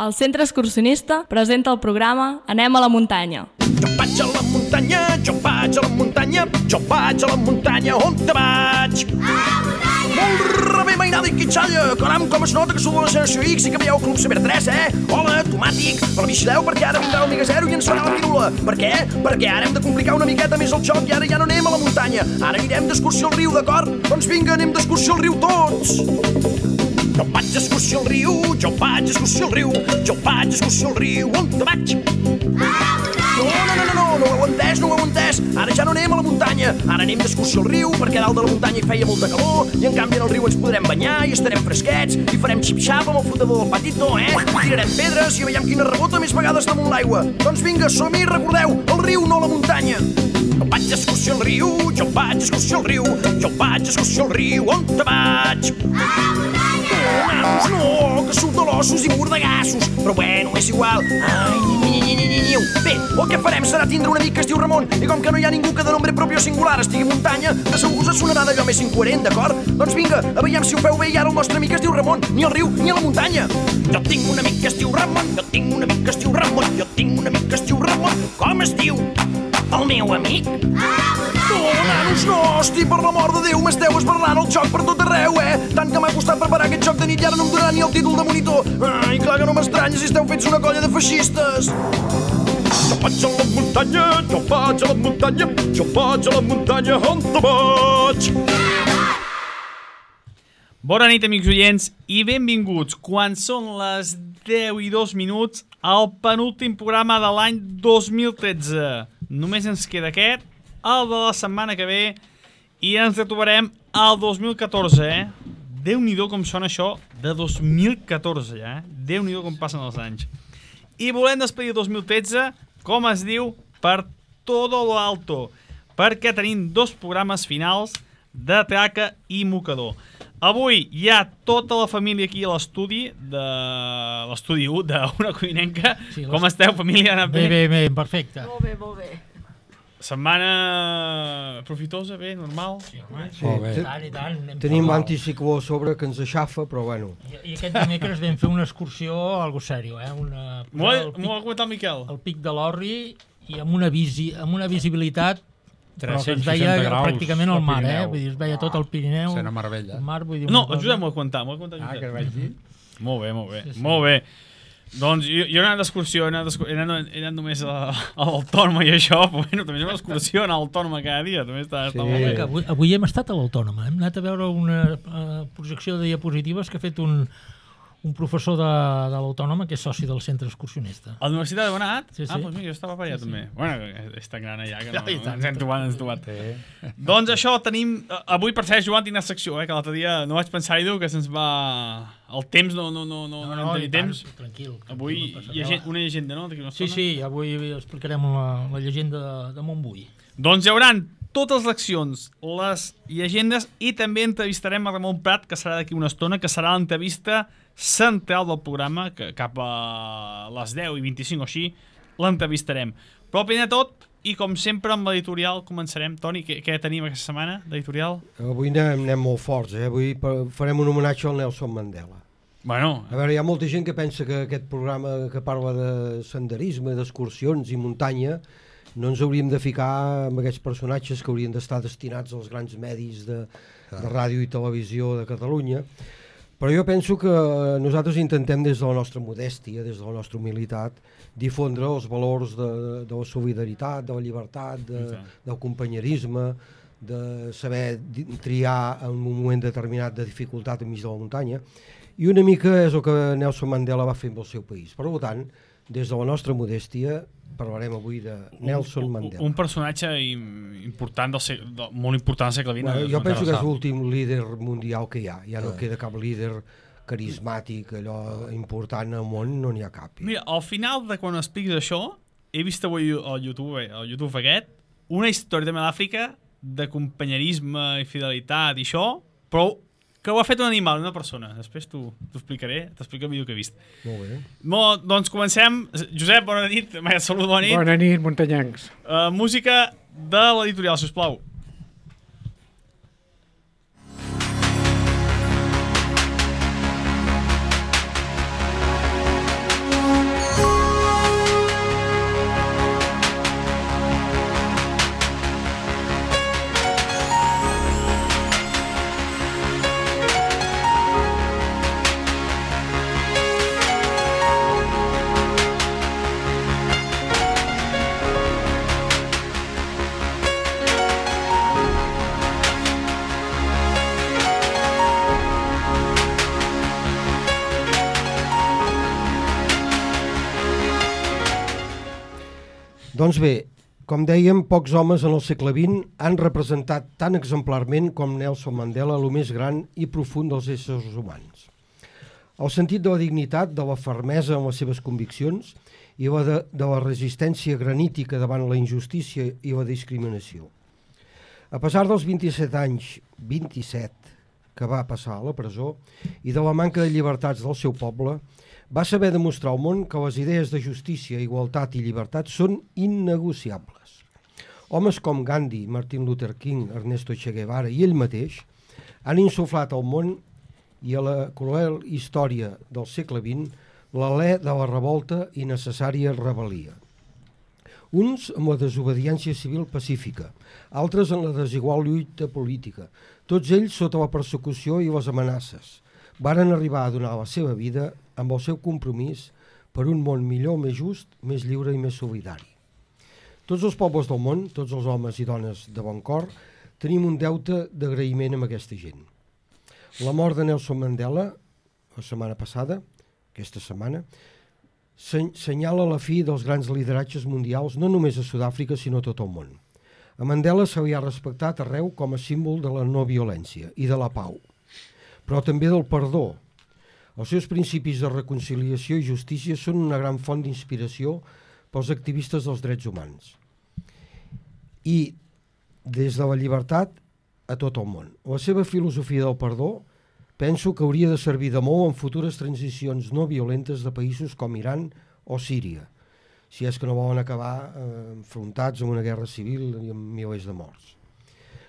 El Centre Excursionista presenta el programa Anem a la muntanya. Jo vaig a la muntanya, jo vaig a la muntanya, jo vaig a la muntanya, on te vaig? A la muntanya! Molt bé, mainada i quitxalla, caram, com es nota que sou de la generació X i que veieu Club Saber 3, Hola, tomàtic, però vigileu perquè ara vindrà el Miga Zero i ens farà la pirula. Per què? Perquè ara hem de complicar una miqueta més el joc i ara ja no anem a la muntanya, ara anirem d'excursió al riu, d'acord? Doncs vinga, anem d'excursió al riu tots! Jo vaig d'excursió al riu, jo vaig d'excursió al riu, jo vaig d'excursió al riu, on te vaig? No ho heu entès, ara ja no anem a la muntanya, ara anem d'excursió al riu perquè dalt de la muntanya hi feia molta calor i en canvi en el riu ens podrem banyar i estarem fresquets i farem xip-xap amb el flotador del patito, Tirarem pedres i veiem quina rebota més vegades damunt l'aigua. Doncs vinga, som-hi, recordeu, el riu, no la muntanya. Jo vaig d'excursió al riu, jo vaig d'excursió al riu, jo vaig d'excursió al riu, on te vaig? A la muntanya! No, que surt de l'ossos i mordegassos, però bueno, és igual. Bé, el que farem serà tindre un amic que es diu Ramon i com que no hi ha ningú que de nombre propi o singular estigui a muntanya, de segur us sonarà d'allò més incoherent, d'acord? Doncs vinga, a veiem si ho feu bé i ara el nostre amic es diu Ramon, ni al riu ni a la muntanya. Jo tinc un amic que es diu Ramon, jo tinc un amic que es diu Ramon, jo tinc un amic que es diu Ramon. Com es diu? El meu amic? Nanos, no, hosti, per l'amor de Déu, m'esteu esbarrant el joc per tot arreu, Tant que m'ha costat preparar aquest joc de nit i ara no em donarà ni el títol de monitor. Ai, clar que no m'estranya si esteu fets una colla de feixistes. Jo vaig a la muntanya, jo vaig a la muntanya, jo vaig a la muntanya, on te vaig? Bona nit, amics oients, i benvinguts, quan són les 10:02, al penúltim programa de l'any 2013. Només ens queda aquest, el de la setmana que ve, i ens retrobarem al 2014, Déu-n'hi-do com sona això de 2014, ja, Déu-n'hi-do com passen els anys. I volem despedir el 2013, com es diu, per todo lo alto, perquè tenim 2 programes finals de Traca i Mocador. Avui hi ha tota la família aquí a l'estudi, de l'estudi 1 d'Una Coinenca. Sí, com esteu, família? Ha anat bé? Bé, perfecte. Molt bé. Setmana profitosa, bé, normal? Sí, home, Sí, i tant. tenim l'anticicló a sobre que ens aixafa, però bueno. I aquest dimecres vam fer una excursió, algo sèrio, M'ho ha comentat el Miquel. al Pic de l'Orri i amb una visibilitat però que es 360 veia graus pràcticament al mar, Pirineu. Vull dir, es veia tot el Pirineu. Sena meravella. El mar, vull dir, No, el Josep m'ho ha comentat. Que es vaig dir. Molt bé. Sí. Molt bé. Doncs jo he anat d'excursió, he anat només a l'Autònoma i això, però bueno, també és una excursió anar a l'Autònoma cada dia, també està molt bé. Avui hem estat a l'Autònoma, hem anat a veure una projecció de diapositives que ha fet un professor de l'Autònoma que és soci del centre excursionista. A la universitat heu anat? Sí. Ah, doncs mira, jo estava per allà també. Bueno, és tan gran allà que no, I tant. ens hem trobat. Doncs això, tenim... Avui, per cert, Joan, tinc una secció, que l'altre dia no vaig pensar-hi dur, que se'ns va... El temps no tenim temps. Tranquil. Avui hi ha una llegenda, no? Sí, avui explicarem la llegenda de Montbui. Doncs hi haurà totes les accions, les llegendes, i també entrevistarem a Ramon Prat, que serà d'aquí una estona, que serà l'entrevista central del programa, que cap a les 10:25 o així l'entrevistarem. Però primer de tot, i com sempre amb l'editorial començarem. Toni, què tenim aquesta setmana d'editorial? Avui anem molt forts, Avui farem un homenatge al Nelson Mandela. Bueno, A veure, hi ha molta gent que pensa que aquest programa que parla de senderisme, d'excursions i muntanya, no ens hauríem de ficar amb aquests personatges que haurien d'estar destinats als grans medis de ràdio i televisió de Catalunya. Però jo penso que nosaltres intentem des de la nostra modèstia, des de la nostra humilitat, difondre els valors de la solidaritat, de la llibertat, del companyerisme, de saber triar en un moment determinat de dificultat enmig de la muntanya. I una mica és el que Nelson Mandela va fer amb el seu país. Per tant, des de la nostra modèstia, parlarem avui de Nelson Mandela. un personatge important molt important del segle XX. Bueno, jo penso que és l'últim líder mundial que hi ha. Ja no queda cap líder carismàtic, allò important al món, no n'hi ha cap. Mira, al final de quan expliques això, he vist avui al YouTube aquest, una història també d'Àfrica de companyerisme i fidelitat i això, però que ho ha fet un animal, una persona. Després t'ho explicaré, t'explico el vídeo que he vist. Molt bé. Doncs comencem. Josep, bona nit. Salut, bona nit. Bona nit, muntanyencs. Música de l'editorial, sisplau. Doncs bé, com dèiem, pocs homes en el segle XX han representat tan exemplarment com Nelson Mandela el més gran i profund dels éssers humans. El sentit de la dignitat, de la fermesa en les seves conviccions i de la resistència granítica davant la injustícia i la discriminació. A pesar dels 27 anys, 27, que va passar a la presó i de la manca de llibertats del seu poble, va saber demostrar al món que les idees de justícia, igualtat i llibertat són innegociables. Homes com Gandhi, Martin Luther King, Ernesto Che Guevara i ell mateix han insuflat al món i a la cruel història del segle XX l'alè de la revolta i necessària rebel·lia. Uns amb la desobediència civil pacífica, altres en la desigual lluita política, tots ells sota la persecució i les amenaces, varen arribar a donar la seva vida amb el seu compromís per un món millor, més just, més lliure i més solidari. Tots els pobles del món, tots els homes i dones de bon cor, tenim un deute d'agraïment amb aquesta gent. La mort de Nelson Mandela, la setmana passada, aquesta setmana, senyala la fi dels grans lideratges mundials no només a Sud-àfrica sinó a tot el món. A Mandela se li ha respectat arreu com a símbol de la no violència i de la pau, però també del perdó. Els seus principis de reconciliació i justícia són una gran font d'inspiració pels activistes dels drets humans. I des de la llibertat a tot el món. La seva filosofia del perdó penso que hauria de servir de molt en futures transicions no violentes de països com Iran o Síria, si és que no volen acabar enfrontats en una guerra civil i amb milers de morts.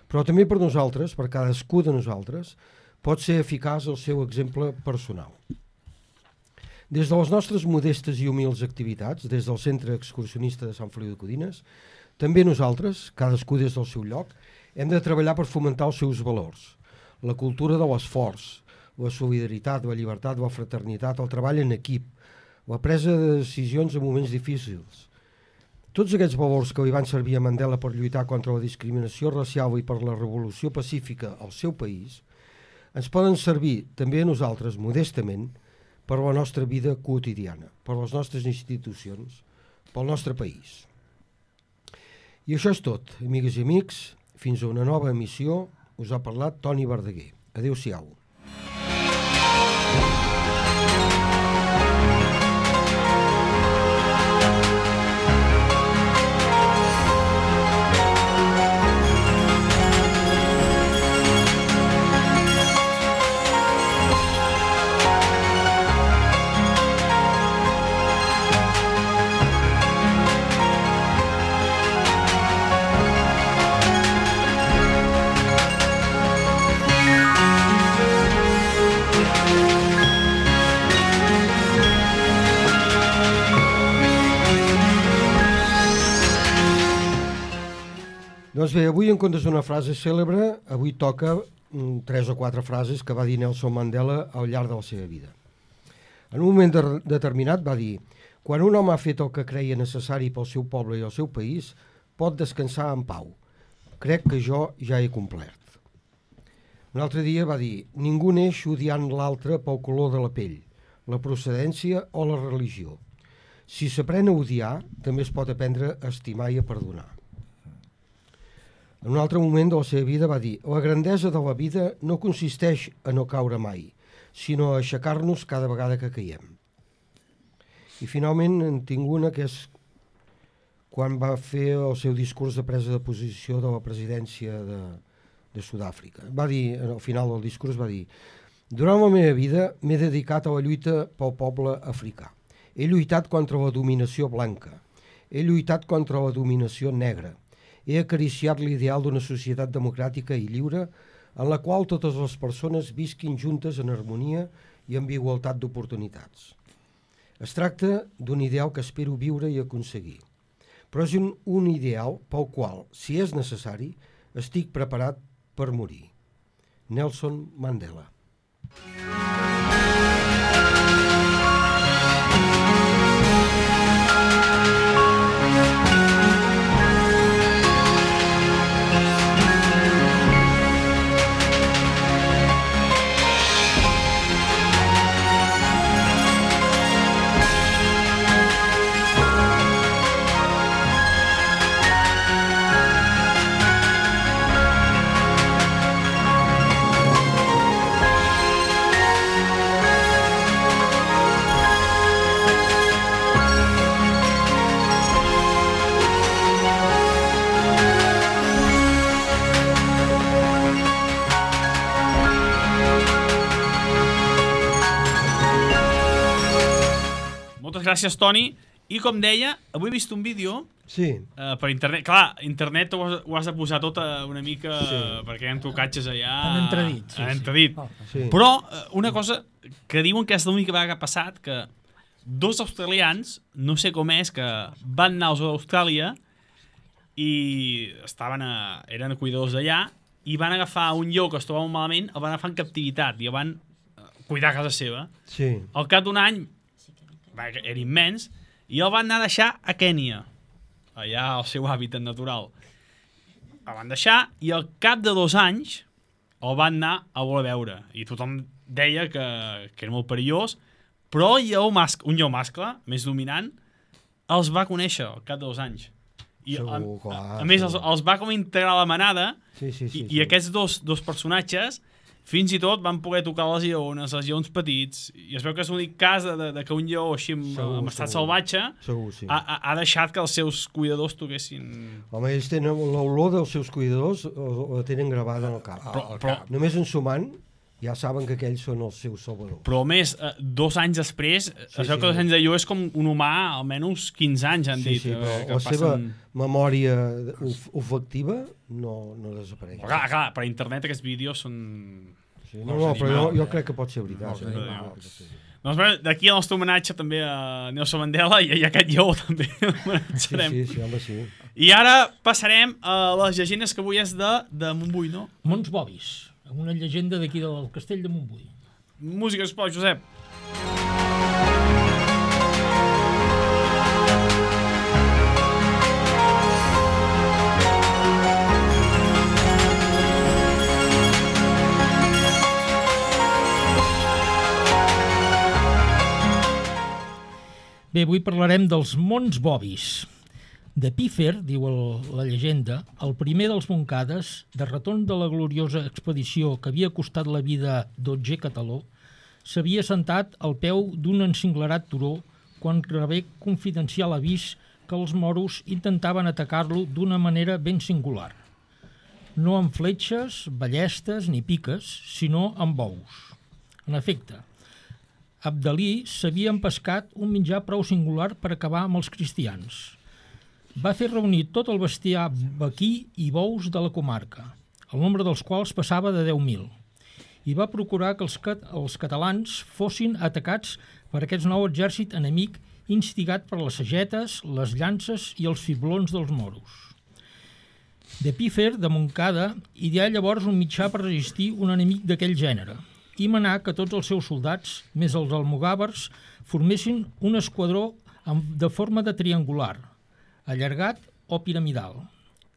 Però també per nosaltres, per cadascú de nosaltres, pot ser eficaç el seu exemple personal. Des de les nostres modestes i humils activitats, des del Centre Excursionista de Sant Feliu de Codines, també nosaltres, cadascú des del seu lloc, hem de treballar per fomentar els seus valors, la cultura de l'esforç, la solidaritat, la llibertat, la fraternitat, el treball en equip, la presa de decisions en moments difícils. Tots aquests valors que li van servir a Mandela per lluitar contra la discriminació racial i per la revolució pacífica al seu país, ens poden servir també a nosaltres, modestament, per la nostra vida quotidiana, per les nostres institucions, pel nostre país. I això és tot, amigues i amics. Fins a una nova emissió. Us ha parlat Toni Verdaguer. Adéu-siau. Doncs bé, avui en comptes d'una frase cèlebre, avui toca 3 o 4 frases que va dir Nelson Mandela al llarg de la seva vida. En un moment determinat va dir: quan un home ha fet el que creia necessari pel seu poble i el seu país, pot descansar en pau. Crec que jo ja he complert. Un altre dia va dir: ningú neix odiant l'altre pel color de la pell, la procedència o la religió. Si s'aprèn a odiar, també es pot aprendre a estimar i a perdonar. En un altre moment de la seva vida va dir: la grandesa de la vida no consisteix a no caure mai, sinó a aixecar-nos cada vegada que caiem. I finalment en tinc una que és quan va fer el seu discurs de presa de posició de la presidència de Sud-àfrica. Va dir, al final del discurs va dir: durant la meva vida m'he dedicat a la lluita pel poble africà. He lluitat contra la dominació blanca. He lluitat contra la dominació negra. He acariciat l'ideal d'una societat democràtica i lliure en la qual totes les persones visquin juntes en harmonia i amb igualtat d'oportunitats. Es tracta d'un ideal que espero viure i aconseguir, però és un ideal pel qual, si és necessari, estic preparat per morir. Nelson Mandela. Moltes gràcies, Toni. I com deia, avui he vist un vídeo Sí. per internet. Clar, internet ho has de posar tot una mica perquè hi ha trucatges allà... En entredit. En entredit. Sí. Però una cosa que diuen que és l'única vegada que ha passat, que 2 australians, no sé com és, que van anar a Austràlia i eren cuidadors d'allà i van agafar un lleó que es trobava malament, el van agafar en captivitat i el van cuidar a casa seva. Sí. Al cap d'un any, era immens, i el van anar a deixar a Kènia, allà al seu hàbitat natural. El van deixar i al cap de 2 anys el van anar a voler veure. I tothom deia que era molt perillós, però un lleó mascle, més dominant, els va conèixer al cap de 2 anys. I Segur, clar, a més, els va com integrar a la manada i aquests dos personatges fins i tot van poder tocar les lleones, els lleons petits, i es veu que és l'únic cas de que un lleó així en estat salvatge ha deixat que els seus cuidadors toquessin... Home, ells tenen l'olor dels seus cuidadors, la tenen gravada en el cap. Però només ensumant ja saben que aquells són els seus salvadors. Però a més, 2 anys després, es veu que 2 anys de lleó és com un humà, almenys 15 anys han dit. Sí, però la seva memòria olfactiva no desapareix. Clar, per internet aquests vídeos són... No, però jo crec que pot ser veritat. Doncs bé, d'aquí el nostre homenatge també a Nelson Mandela i a aquest lleó també homenatjarem. Sí, home, sí. I ara passarem a les llegendes que avui és de Montbui, no? Mons Bobis, una llegenda d'aquí del castell de Montbui. Música, sisplau, Josep. Bé, avui parlarem dels Mons Bobis. De Pífer, diu la llegenda, el primer dels Montcades, de retorn de la gloriosa expedició que havia costat la vida d'Otger Cataló, s'havia sentat al peu d'un encinglerat turó quan rebé confidencial avís que els moros intentaven atacar-lo d'una manera ben singular. No amb fletxes, ballestes ni piques, sinó amb bous. En efecte, Abdalí s'havia empescat un menjar prou singular per acabar amb els cristians. Va fer reunir tot el bestiar vaquí i bous de la comarca, el nombre dels quals passava de 10.000, i va procurar que els catalans fossin atacats per aquest nou exèrcit enemic instigat per les sagetes, les llances i els fiblons dels moros. De Pífer, de Montcada, ideà llavors un mitjà per resistir un enemic d'aquell gènere, i manà que tots els seus soldats, més els almogàvers, formessin un esquadró de forma de triangular, allargat o piramidal,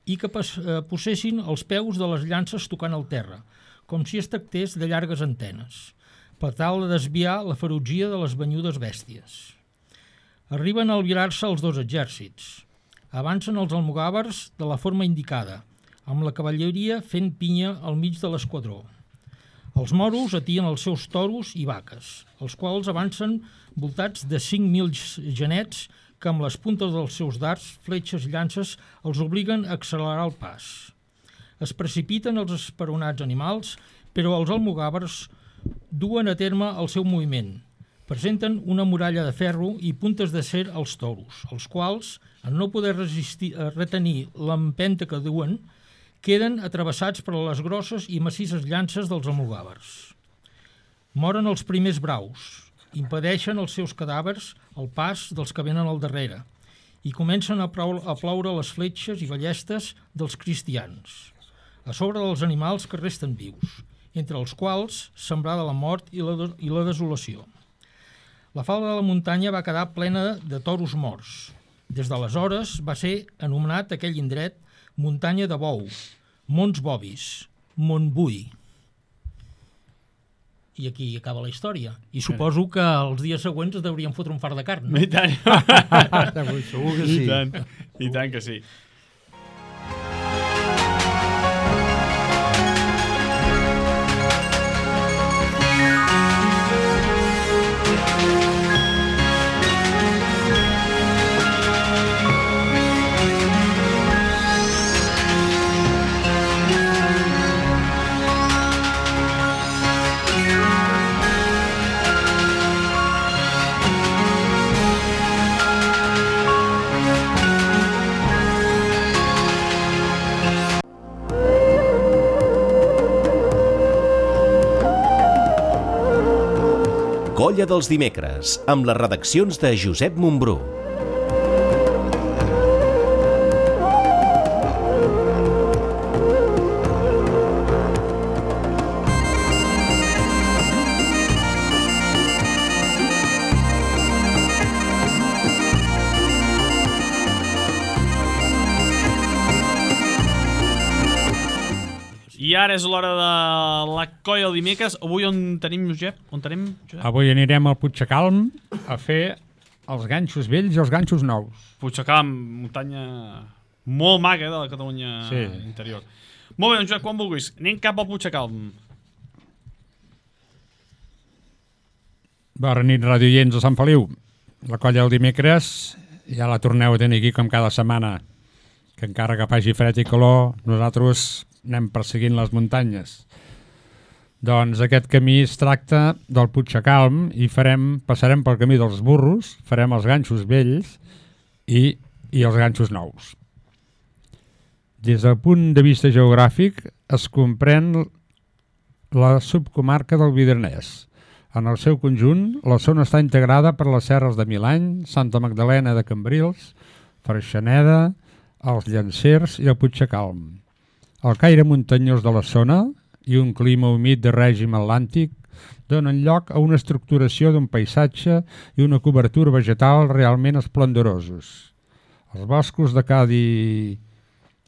i que posessin els peus de les llances tocant el terra, com si es tractés de llargues antenes, per tal de desviar la ferotgia de les banyudes bèsties. Arriben a albirar-se els 2 exèrcits. Avancen els almogàvers de la forma indicada, amb la cavalleria fent pinya al mig de l'esquadró. Els moros atien els seus toros i vaques, els quals avancen voltats de 5.000 genets que amb les puntes dels seus dards, fletxes i llances els obliguen a accelerar el pas. Es precipiten els esperonats animals, però els almogàvers duen a terme el seu moviment. Presenten una muralla de ferro i puntes d'acer als toros, els quals, en no poder retenir l'empenta que duen, queden atrevessats per les grosses i massisses llances dels almogàvers. Moren els primers braus, impedeixen els seus cadàvers el pas dels que venen al darrere i comencen a ploure les fletxes i ballestes dels cristians, a sobre dels animals que resten vius, entre els quals sembrada la mort i la desolació. La falda de la muntanya va quedar plena de toros morts. Des d'aleshores va ser anomenat aquell indret Muntanya de Bou, Mons Bobis, Montbui. I aquí acaba la història. I suposo que els dies següents es deurien fotre un fart de carn. I tant. Segur que sí. I tant que sí. Colla dels dimecres, amb les redaccions de Josep Montbrú. I ara és l'hora de la colla del dimecres. Avui on tenim, Josep? Avui anirem al Puigcalm a fer els ganxos vells i els ganxos nous. Puigcalm, muntanya molt maca de la Catalunya interior. Molt bé, doncs Josep, quan vulguis. Anem cap al Puigcalm. Bona nit, radioients de Sant Feliu. La colla del dimecres ja la torneu a tenir aquí com cada setmana. Que encara que faci fred i calor, nosaltres anem perseguint les muntanyes. Doncs aquest camí es tracta del Puigcalm i passarem pel camí dels burros, farem els ganxos vells i els ganxos nous. Des del punt de vista geogràfic es comprèn la subcomarca del Vidernès. En el seu conjunt, la zona està integrada per les serres de Milany, Santa Magdalena de Cambrils, Freixeneda, els Llancers i el Puigcalm. El caire muntanyós de la zona i un clima humit de règim atlàntic donen lloc a una estructuració d'un paisatge i una cobertura vegetal realment esplendorosos. Els boscos de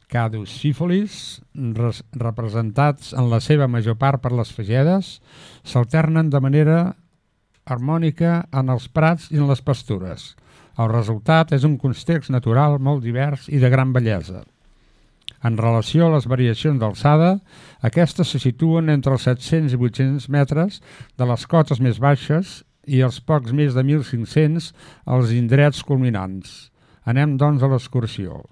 caducifolis, representats en la seva major part per les fagedes, s'alternen de manera harmònica en els prats i en les pastures. El resultat és un context natural molt divers i de gran bellesa. En relació a les variacions d'alçada, aquestes se situen entre els 700 i 800 metres de les cotes més baixes i els pocs més de 1.500 als indrets culminants. Anem, doncs, a l'excursió.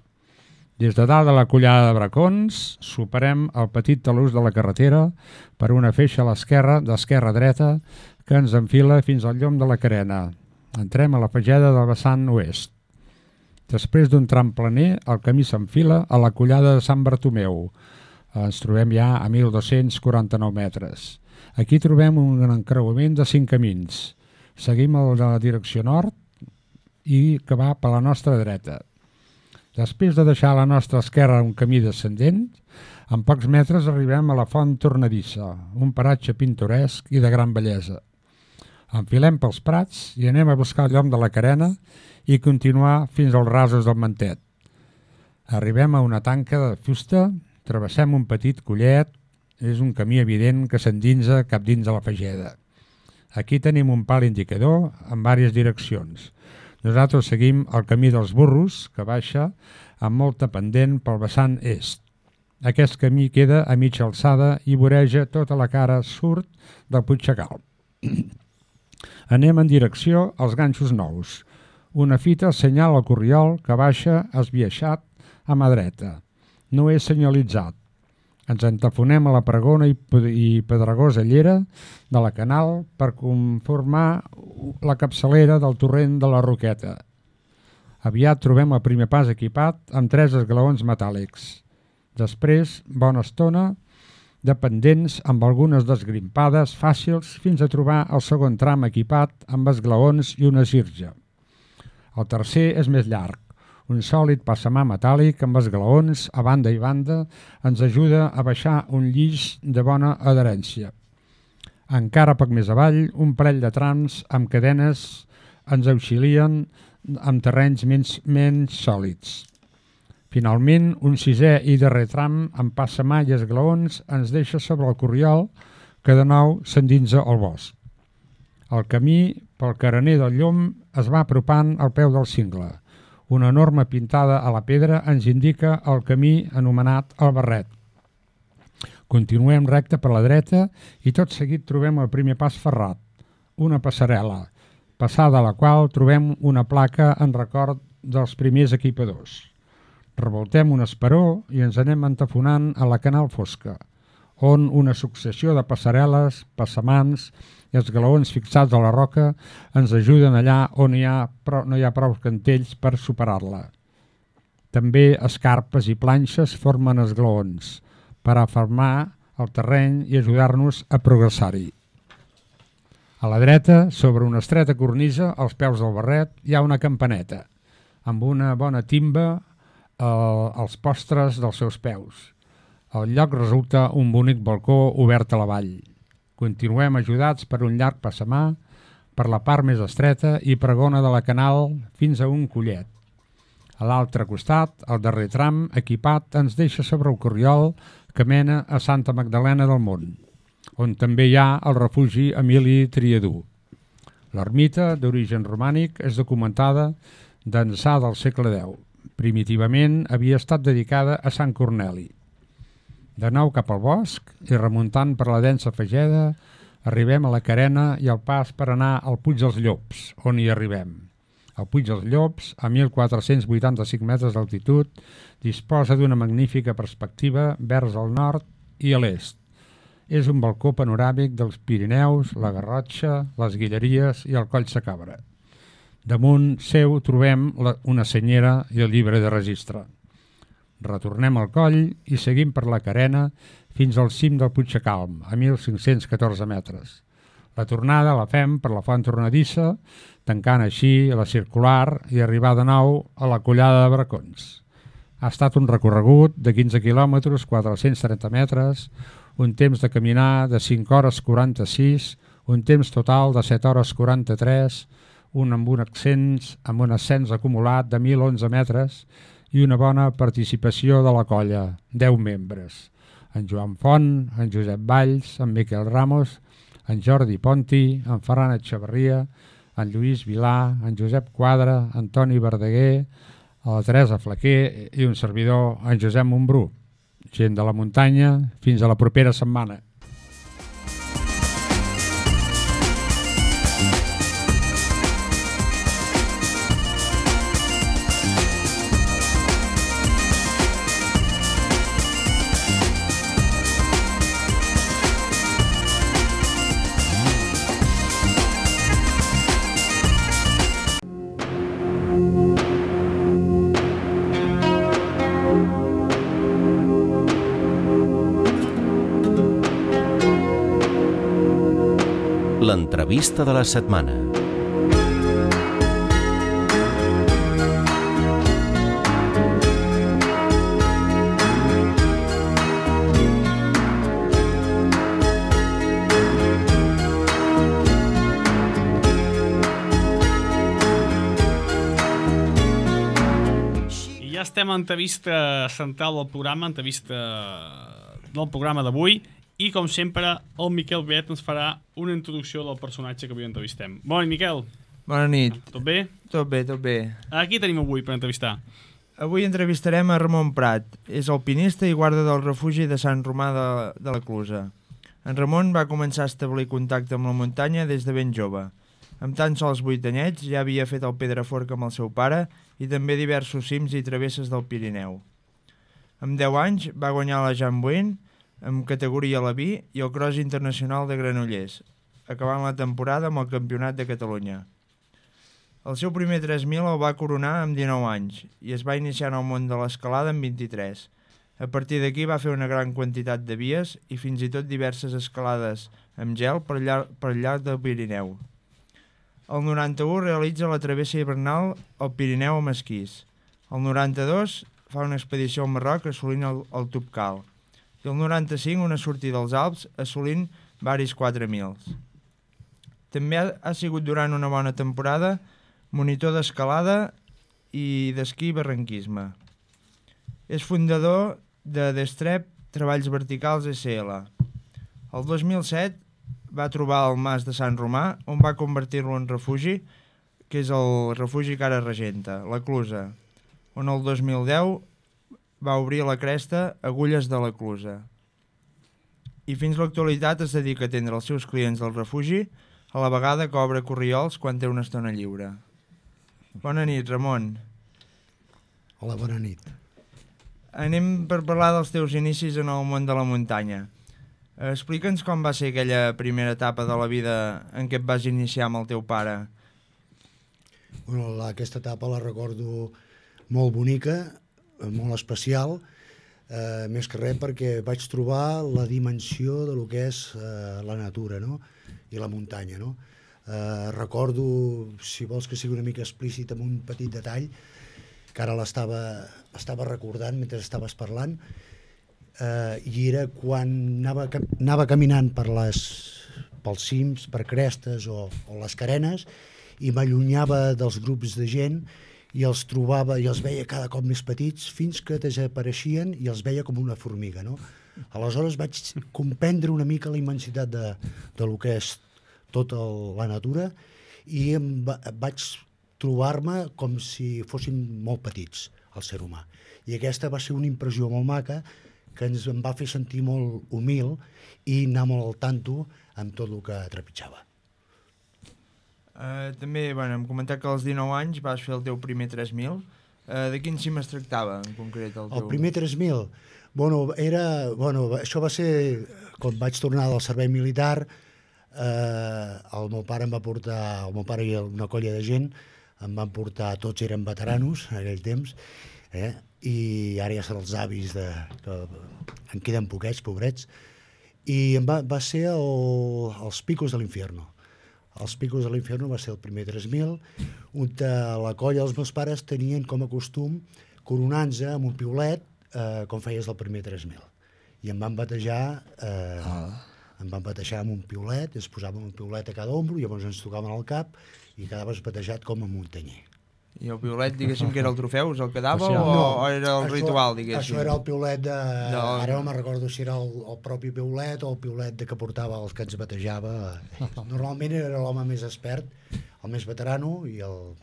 Des de dalt de la Collada de Bracons, superem el petit talús de la carretera per una feixa a l'esquerra, d'esquerra a dreta, que ens enfila fins al llom de la Carena. Entrem a la fageda del vessant oest. Després d'un tram planer, el camí s'enfila a la Collada de Sant Bartomeu. Ens trobem ja a 1.249 metres. Aquí trobem un encreuament de 5 camins. Seguim el de la direcció nord i que va per la nostra dreta. Després de deixar a la nostra esquerra un camí descendent, en pocs metres arribem a la Font Tornadissa, un paratge pintoresc i de gran bellesa. Enfilem pels prats i anem a buscar el llom de la Carena i continuar fins als rasos del Mantet. Arribem a una tanca de fusta, travessem un petit collet, és un camí evident que s'endinsa cap dins de la fageda. Aquí tenim un pal indicador en diverses direccions. Nosaltres seguim el camí dels burros, que baixa amb molta pendent pel vessant est. Aquest camí queda a mitja alçada i voreja tota la cara sud del Puigcalm. Anem en direcció als ganxos nous. Una fita senyala el corriol que baixa esbiaixat a mà dreta. No és senyalitzat. Ens entafonem a la pregona i pedregosa llera de la Canal per conformar la capçalera del torrent de la Roqueta. Aviat trobem el primer pas equipat amb 3 esglaons metàl·lics. Després, bona estona de pendents amb algunes desgrimpades fàcils fins a trobar el segon tram equipat amb esglaons i una sirja. El tercer és més llarg. Un sòlid passamà metàl·lic amb esglaons a banda i banda ens ajuda a baixar un llis de bona adherència. Encara poc més avall, un parell de trams amb cadenes ens auxilien amb terrenys menys sòlids. Finalment, un sisè i darrer tram amb passamà i esglaons ens deixa sobre el corriol que de nou s'endinsa al bosc. El camí pel carener del llom es va apropant al peu del cingle. Una norma pintada a la pedra ens indica el camí anomenat el Barret. Continuem recte per la dreta i tot seguit trobem el primer pas ferrat, una passarel·la, passada la qual trobem una placa en record dels primers equipadors. Revoltem un esperó i ens anem entafonant a la Canal Fosca, on una successió de passarel·les, passamans i esglaons fixats a la roca ens ajuden allà on no hi ha prou cantells per superar-la. També escarpes i planxes formen esglaons per afermar el terreny i ajudar-nos a progressar-hi. A la dreta, sobre una estreta cornisa, als peus del barret, hi ha una campaneta, amb una bona timba als postres dels seus peus. El lloc resulta un bonic balcó obert a la vall. Continuem ajudats per un llarg passamà, per la part més estreta i pregona de la canal fins a un collet. A l'altre costat, el darrer tram equipat ens deixa sobre el corriol que mena a Santa Magdalena del Mont, on també hi ha el refugi Emili Triadú. L'ermita, d'origen romànic, és documentada d'ençà del segle X. Primitivament havia estat dedicada a Sant Corneli. De nou cap al bosc i remuntant per la densa fageda, arribem a la carena i al pas per anar al Puig dels Llops, on hi arribem. El Puig dels Llops, a 1.485 metres d'altitud, disposa d'una magnífica perspectiva vers el nord i a l'est. És un balcó panoràmic dels Pirineus, la Garrotxa, les Guilleries i el Coll Sacabra. Damunt seu trobem una senyera i el llibre de registre. Retornem al coll i seguim per la carena fins al cim del Puig Sacalm, a 1.514 metres. La tornada la fem per la Font Tornadissa, tancant així la circular i arribar de nou a la Collada de Bracons. Ha estat un recorregut de 15 quilòmetres, 430 metres, un temps de caminar de 5 hores 46, un temps total de 7 hores 43, amb un ascens acumulat de 1.011 metres i una bona participació de la colla, 10 membres. En Joan Font, en Josep Valls, en Miquel Ramos, en Jordi Ponti, en Ferran Etxeverria, en Lluís Vilà, en Josep Quadra, en Toni Verdaguer, la Teresa Flaquer i un servidor, en Josep Montbrú. Gent de la muntanya, fins a la propera setmana. L'entrevista de la setmana. I ja estem a l'entrevista central del programa, entrevista del programa d'avui. I, com sempre, el Miquel Viet ens farà una introducció del personatge que avui entrevistem. Bona nit, Miquel. Bona nit. Tot bé? Tot bé, tot bé. A qui tenim avui per entrevistar? Avui entrevistarem a Ramon Prat. És alpinista i guarda del refugi de Sant Romà de la Clusa. En Ramon va començar a establir contacte amb la muntanya des de ben jove. Amb tan sols 8 anyets ja havia fet el Pedraforca amb el seu pare i també diversos cims i travesses del Pirineu. Amb 10 anys va guanyar la Jean Bouin amb categoria Leví i el Cross Internacional de Granollers, acabant la temporada amb el Campionat de Catalunya. El seu primer 3.000 el va coronar amb 19 anys i es va iniciar en el món de l'escalada amb 23. A partir d'aquí va fer una gran quantitat de vies i fins i tot diverses escalades amb gel per llarg del Pirineu. El 91 realitza la travessa hivernal al Pirineu amb esquís. El 92 fa una expedició al Marroc assolint el Tubcal. I el 95 una sortida als Alps assolint varis 4.000. També ha sigut durant una bona temporada monitor d'escalada i d'esquí i barranquisme. És fundador de Destrep Treballs Verticals SL. El 2007 va trobar el Mas de Sant Romà, on va convertir-lo en refugi, que és el refugi que ara regenta, la Clusa, on el 2010 va obrir la cresta Agulles de la Clusa. I fins a l'actualitat es dedica a atendre els seus clients del refugi, a la vegada que obre corriols quan té una estona lliure. Bona nit, Ramon. Hola, bona nit. Anem per parlar dels teus inicis en el món de la muntanya. Explica'ns com va ser aquella primera etapa de la vida en què et vas iniciar amb el teu pare. Bueno, aquesta etapa la recordo molt bonica, molt especial, més que res perquè vaig trobar la dimensió de lo que és la natura, no? i la muntanya, no? Recordo, si vols que sigui una mica explícit, amb un petit detall, que ara estava recordant mentre estaves parlant, i era quan anava caminant pels cims, per crestes o les carenes, i m'allunyava dels grups de gent i els trobava i els veia cada cop més petits fins que desapareixien i els veia com una formiga, no? Aleshores vaig comprendre una mica la immensitat de lo que és tota la natura i vaig trobar-me com si fossin molt petits, el ser humà. I aquesta va ser una impressió molt maca que em va fer sentir molt humil i anar molt al tanto amb tot el que trepitjava. També, hem comentat que als 19 anys vas fer el teu primer 3.000. De quin cim es tractava, en concret? El primer 3.000? Això va ser quan vaig tornar del servei militar. El meu pare em va portar, el meu pare i una colla de gent em van portar, tots eren veteranos en aquell temps, i ara ja són els avis, que en queden poquets, pobrets, i va ser els Picos de l'Infierno. Els Picos de l'Infierno va ser el primer 3.000, on la colla dels meus pares tenien com a costum coronar-se amb un piulet com feies el primer 3.000. I em van batejar amb un piulet, ens posàvem un piulet a cada ombro, llavors ens tocaven al cap i quedaves batejat com a muntanyer. I el piulet, diguéssim, que era el trofeu, el que dava, o era el ritual, diguéssim? Això era el piulet ara no me'n recordo si era el propi piulet o el piulet que portava els que ens batejava. Normalment era l'home més expert, el més veterano i el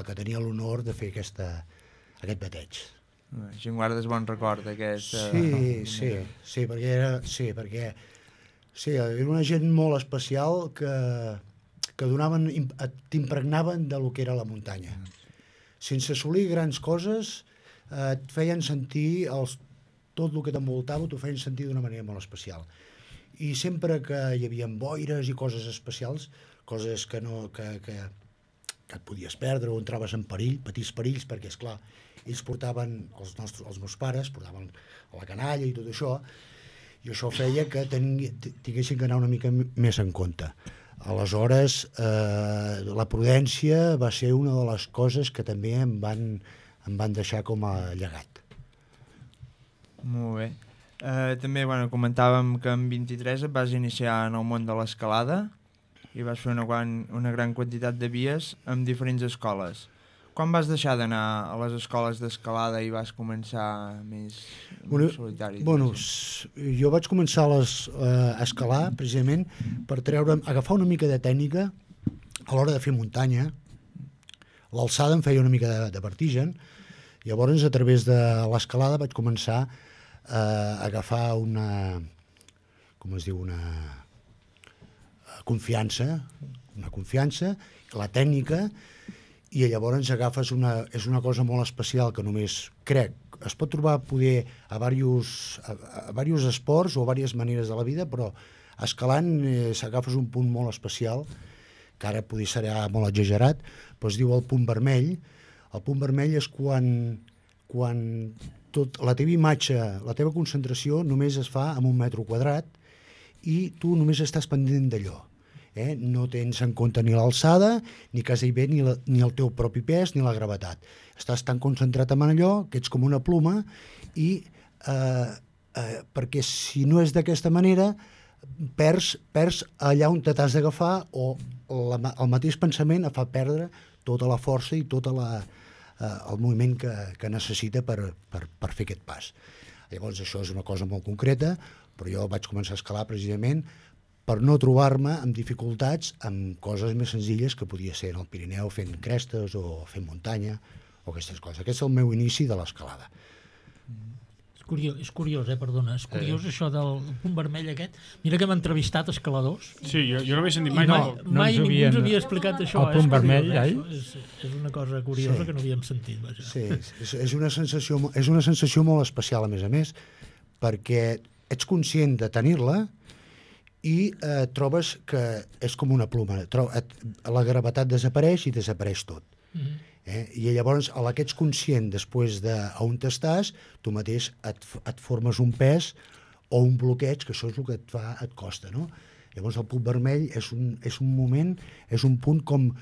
que tenia l'honor de fer aquest bateig. Així en guardes bon record, aquest... Sí, perquè era una gent molt especial que t'impregnaven de lo que era la muntanya. Sense assolir grans coses, et feien sentir tot el que t'envoltava, t'ho feien sentir d'una manera molt especial. I sempre que hi havia boires i coses especials, coses que et podies perdre o entraves en perill, petits perills, perquè, esclar, ells portaven, els meus pares, portaven la canalla i tot això, i això feia que tinguessin que anar una mica més en compte. Aleshores, la prudència va ser una de les coses que també em van deixar com a llegat. Molt bé. També comentàvem que amb 23 et vas iniciar en el món de l'escalada i vas fer una gran quantitat de vies amb diferents escoles. Quan vas deixar d'anar a les escoles d'escalada i vas començar més solitari? Jo vaig començar a escalar precisament per agafar una mica de tècnica a l'hora de fer muntanya. L'alçada em feia una mica de vertigen, llavors a través de l'escalada vaig començar a agafar una confiança, la tècnica, i llavors agafes és una cosa molt especial que només crec, es pot trobar poder a diversos esports o a diverses maneres de la vida, però escalant s'agafes un punt molt especial, que ara potser serà molt exagerat, però es diu el punt vermell. El punt vermell és quan la teva imatge, la teva concentració només es fa en 1 metre quadrat i tu només estàs pendent d'allò. No tens en compte ni l'alçada, ni quasi bé ni el teu propi pes, ni la gravetat. Estàs tan concentrat en allò que ets com una ploma i perquè si no és d'aquesta manera perds allà on t'has d'agafar o el mateix pensament et fa perdre tota la força i tot el moviment que necessita per fer aquest pas. Llavors això és una cosa molt concreta, però jo vaig començar a escalar precisament per no trobar-me amb dificultats amb coses més senzilles que podia ser en el Pirineu fent crestes o fent muntanya o aquestes coses. Aquest és el meu inici de l'escalada. És curiós, perdona, és curiós això del punt vermell aquest. Mira que hem entrevistat escaladors. Sí, jo no havia sentit mai. Mai ningú ens havia explicat això. El punt vermell, és una cosa curiosa que no havíem sentit. Sí, és una sensació molt especial, a més, perquè ets conscient de tenir-la i trobes que és com una ploma. La gravetat desapareix i desapareix tot. I llavors, a la que ets conscient després d'on t'estàs, tu mateix et formes un pes o un bloqueig, que això és el que et costa, no? Llavors el punt vermell és un moment, és un punt com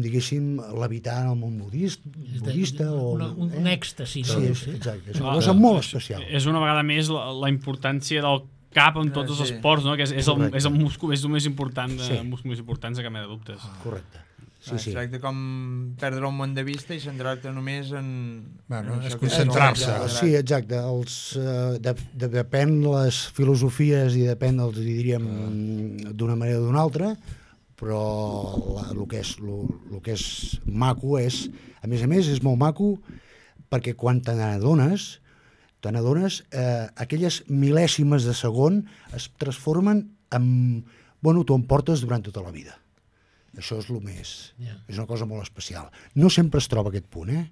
diguéssim, l'habitar en el món budista. Un èxtasi. Sí, exacte, és una cosa molt especial. És una vegada més la importància del cap en tots els esports, no? Que és el múscul, és el més important, múscul més important, de cap mena de dubtes. Correcte. Es tracta com perdre el món de vista i centrar-te només en... és concentrar-se. Sí, exacte. Depèn les filosofies i depèn, diríem, d'una manera o d'una altra, però el que és maco és, a més, és molt maco perquè quan te n'adones, aquelles mil·lèsimes de segon es transformen en... Bueno, t'ho emportes durant tota la vida. Això és el més... És una cosa molt especial. No sempre es troba aquest punt,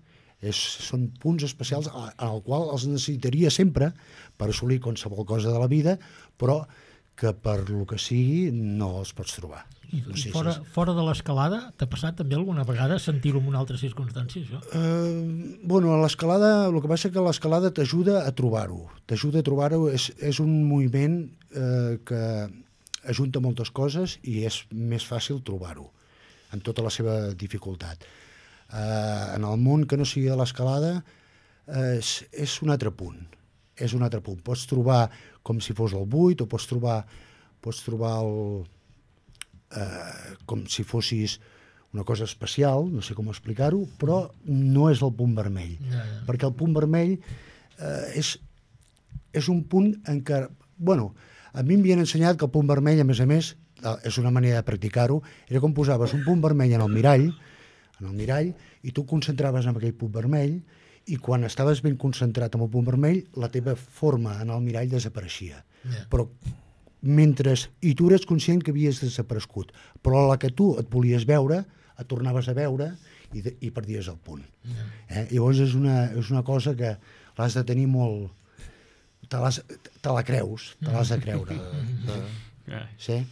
són punts especials en el qual els necessitaria sempre per assolir qualsevol cosa de la vida, però que per lo que sigui no els pots trobar. I fora de l'escalada, t'ha passat també alguna vegada sentir-ho en una altra circumstància, això? Bueno, a l'escalada, el que passa que l'escalada t'ajuda a trobar-ho. És un moviment que ajunta moltes coses i és més fàcil trobar-ho, amb tota la seva dificultat. En el món que no sigui de l'escalada és un altre punt. Pots trobar com si fos el buit, o pots trobar com si fossis una cosa especial, no sé com explicar-ho, però no és el punt vermell. Perquè el punt vermell és un punt en què... Bueno, a mi m'havien ensenyat que el punt vermell, a més, és una manera de practicar-ho, era com posaves un punt vermell en el mirall, i tu concentraves en aquell punt vermell, i quan estaves ben concentrat en el punt vermell, la teva forma en el mirall desapareixia. Però i tu eres conscient que havies desaparegut, però a la que tu et volies veure, et tornaves a veure i perdies el punt. Llavors és una cosa que l'has de tenir molt... Te la creus, te l'has de creure. Sí?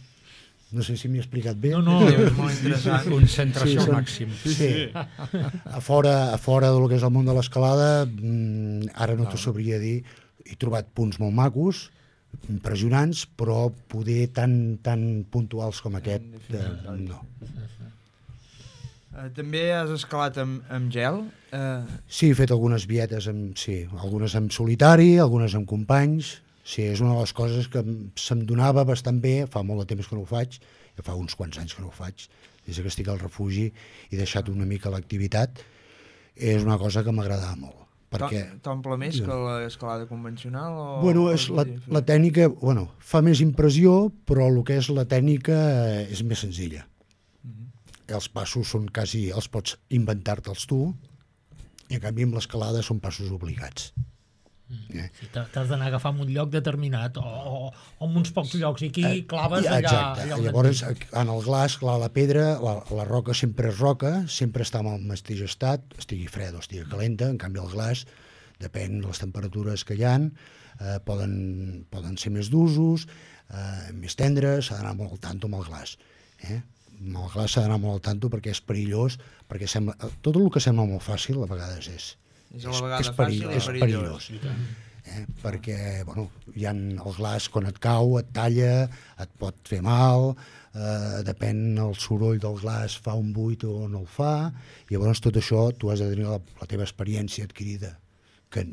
No sé si m'he explicat bé. No, és molt interessant. Concentració al màxim. Sí. A fora del que és el món de l'escalada, ara no t'ho sabria dir, he trobat punts molt macos, impressionants, però poder tan puntuals com aquest, no. També has escalat amb gel? Sí, he fet algunes vietes, algunes en solitari, algunes amb companys. Sí, és una de les coses que se'm donava bastant bé, fa molt de temps que no ho faig, fa uns quants anys que no ho faig, des que estic al refugi he deixat una mica l'activitat. És una cosa que m'agradava molt. T'omple més que l'escalada convencional? Bueno, la tècnica, fa més impressió, però el que és la tècnica és més senzilla. Els passos són quasi, els pots inventar-te'ls tu, i en canvi amb l'escalada són passos obligats. T'has d'anar a agafar en un lloc determinat, o en uns pocs llocs, i aquí claves allà... Exacte, llavors en el glaç, clar, la pedra, la roca sempre és roca, sempre està en el mateix estat, estigui fred o estigui calenta, en canvi el glaç, depèn de les temperatures que hi ha, poden ser més d'usos, més tendres, s'ha d'anar molt al tanto amb el glaç. Amb el glaç s'ha d'anar molt al tanto perquè és perillós, perquè tot el que sembla molt fàcil a vegades és perillós. Perquè el glaç quan et cau et talla, et pot fer mal, depèn el soroll del glaç, fa un buit o no el fa, i llavors tot això tu has de tenir la teva experiència adquirida, que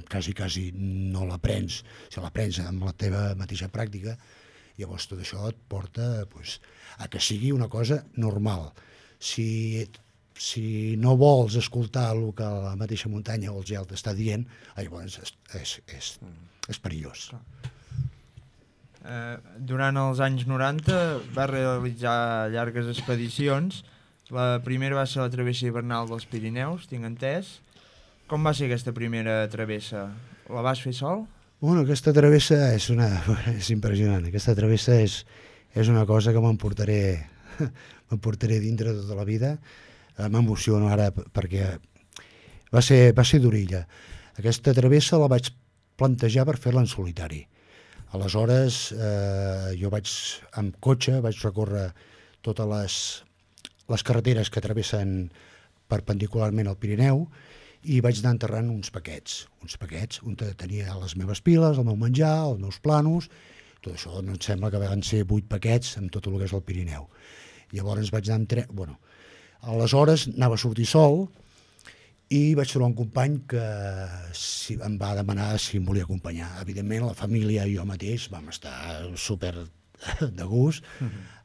quasi no l'aprens, si l'aprens amb la teva mateixa pràctica, llavors tot això et porta a que sigui una cosa normal. Si no vols escoltar el que la mateixa muntanya o el gel t'està dient, llavors és perillós. Durant els anys 90 va realitzar llargues expedicions. La primera va ser la travessa hivernal dels Pirineus, tinc entès. Com va ser aquesta primera travessa? La vas fer sol? Aquesta travessa és impressionant. Aquesta travessa és una cosa que m'emportaré dintre tota la vida. M'emociono ara perquè va ser d'orilla. Aquesta travessa la vaig plantejar per fer-la en solitari. Aleshores, jo amb cotxe vaig recórrer totes les carreteres que travessen perpendicularment al Pirineu i vaig anar enterrant uns paquets on tenia les meves piles, el meu menjar, els meus planos, tot això no em sembla que van ser 8 paquets amb tot el que és el Pirineu. Llavors vaig anar amb tren, bueno, aleshores anava a sortir sol i vaig trobar un company que em va demanar si em volia acompanyar. Evidentment, la família i jo mateix vam estar super de gust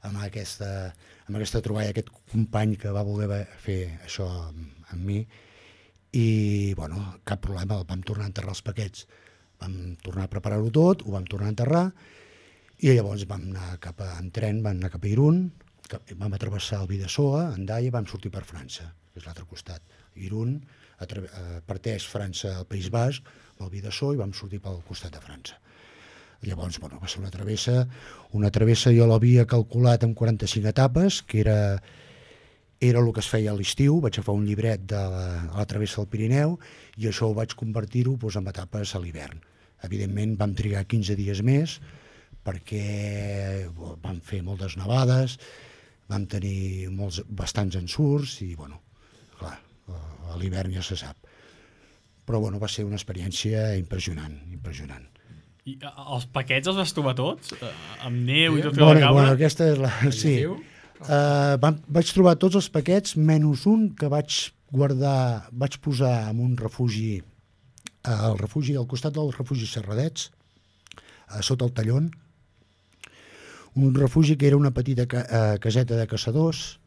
amb aquesta troballa, aquest company que va voler fer això amb mi, i bueno, cap problema, vam tornar a enterrar els paquets. Vam tornar a preparar-ho tot, ho vam tornar a enterrar, i llavors vam anar en tren, vam anar cap a Irún, vam travessar el Bidasoa, Hendaia, i vam sortir per França, que és l'altre costat. Irún parteix França al País Basc, el Bidasoa, i vam sortir pel costat de França. Llavors, bueno, va ser una travessa jo l'havia calculat en 45 etapes, que era el que es feia a l'estiu. Vaig agafar un llibret de la travessa del Pirineu i això ho vaig convertir-ho en etapes a l'hivern. Evidentment vam trigar 15 dies més perquè vam fer moltes nevades, vam tenir bastants ensurts i, bueno, clar, a l'hivern ja se sap. Però, bueno, va ser una experiència impressionant. I els paquets els vas trobar tots? Amb neu i tot bueno, la cabra? Bueno, aquesta és la... Sí. Vaig trobar tots els paquets, menys un que vaig posar en un refugi, al costat del refugi Serradets, sota el Tallón, un refugi que era una petita caseta de caçadors,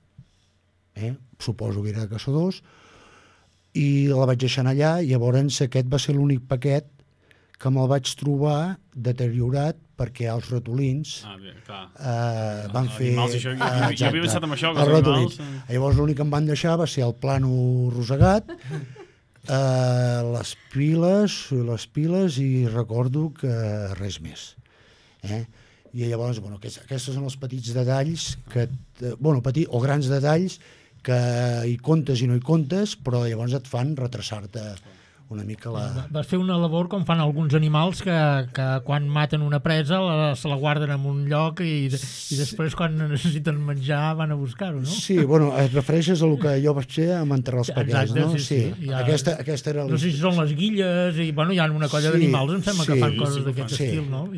suposo que era de caçadors, i la vaig deixar allà, i llavors aquest va ser l'únic paquet que me'l vaig trobar deteriorat perquè els ratolins van fer... Jo havia pensat en això, que els ratolins. Llavors l'únic que em van deixar va ser el plànol rosegat, les piles i recordo que res més. I llavors, bueno, aquests són els petits detalls, o grans detalls, que hi comptes i no hi comptes, però llavors et fan retrasar-te una mica la... Vas fer una labor com fan alguns animals que quan maten una presa se la guarden en un lloc i després quan necessiten menjar van a buscar-ho, no? Sí, bueno, et refereixes a el que jo vaig fer amb enterrar els paquets, no? Sí. Aquesta era... No sé si són les guilles i, bueno, hi ha una colla d'animals, em sembla que fan coses d'aquest estil, no?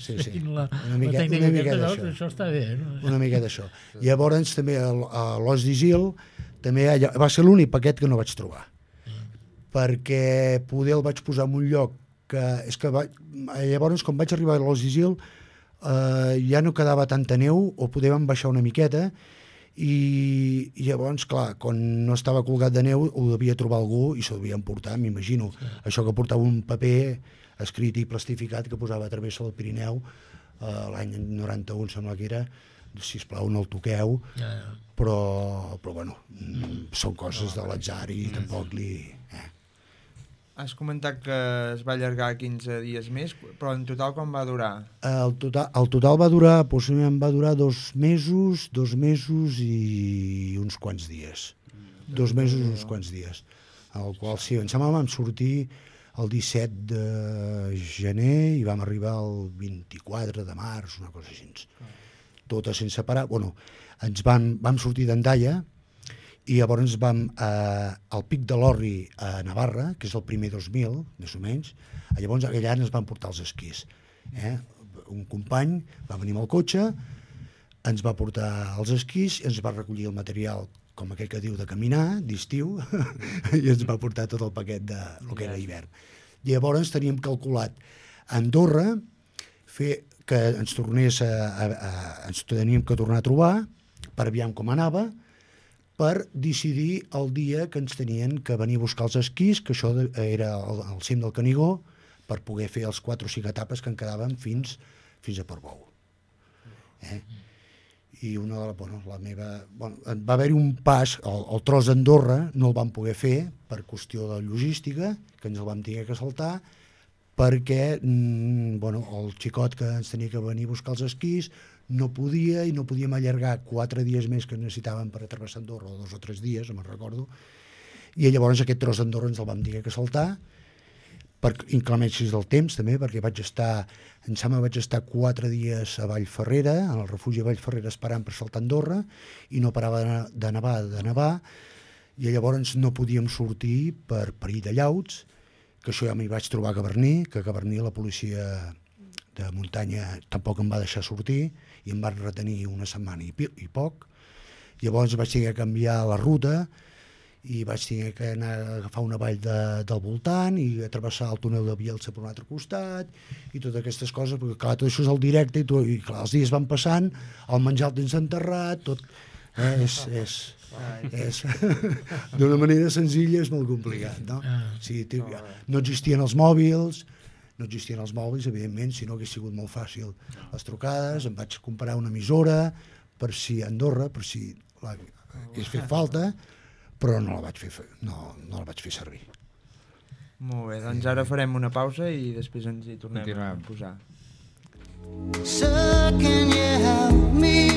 Sí. Una miqueta d'això. Això està bé, no? Una mica d'això. Llavors també a l'Os d'Isil també va ser l'únic paquet que no vaig trobar, perquè poder el vaig posar en un lloc que... Llavors, quan vaig arribar a l'Os d'Isil, ja no quedava tanta neu, o poder vam baixar una miqueta, i llavors, clar, quan no estava colgat de neu, ho devia trobar algú i s'ho devia emportar, m'imagino. Això que portava un paper escrit i plastificat que posava a travessa del Pirineu, l'any 91 sembla que era, sisplau, no el toqueu, però bueno, són coses de l'atzar i tampoc li... Has comentat que es va allargar 15 dies més, però en total quan va durar? El total va durar, possiblement va durar 2 mesos i uns quants dies. 2 mesos i uns quants dies. El qual, sí, em sembla que vam sortir el 17 de gener i vam arribar el 24 de març, una cosa així. Totes sense parar. Bueno, vam sortir d'Hendaia, i llavors vam al Pic de l'Orri a Navarra, que és el primer 2000, més o menys. Llavors allà ens van portar els esquís. Un company va venir amb el cotxe, ens va portar els esquís, ens va recollir el material, com aquell que diu, de caminar, d'estiu, i ens va portar tot el paquet de lo que era hivern. I llavors teníem calculat a Andorra que ens teníem que tornar a trobar per aviam com anava, per decidir el dia que ens tenien que venir a buscar els esquís, que això era al cim del Canigó, per poder fer els 4 o 5 etapes que en quedaven fins a Portbou. I va haver-hi un pas, el tros d'Andorra no el vam poder fer per qüestió de logística, que ens el vam tenir que saltar, perquè el xicot que ens tenia que venir a buscar els esquís no podia, i no podíem allargar 4 dies més que necessitàvem per atravessar Andorra, o 2 o 3 dies, no me'n recordo, i llavors aquest tros d'Andorra ens el vam tenir que saltar per inclemències del temps també, perquè vaig estar 4 dies a Vallferrera, en el refugi de Vallferrera, esperant per saltar Andorra, i no parava de nevar, i llavors no podíem sortir per perill de llauts, que això ja m'hi vaig trobar a Gavarní, que a Gavarní la policia de muntanya tampoc em va deixar sortir i em van retenir una setmana i poc. Llavors vaig tenir que canviar la ruta i vaig tenir que anar a agafar una vall del voltant i travessar el túnel de Bielsa per un altre costat i totes aquestes coses, perquè clar, tot això és el directe i clar, els dies van passant, el menjar el tens enterrat, tot és d'una manera senzilla és molt complicat, no? No existien els mòbils, evidentment, si no hagués sigut molt fàcil les trucades, em vaig comprar una emissora per si a Andorra, per si hagués fet falta, però no la vaig fer servir. Molt bé, doncs ara farem una pausa i després ens hi tornem a posar. So can you help me?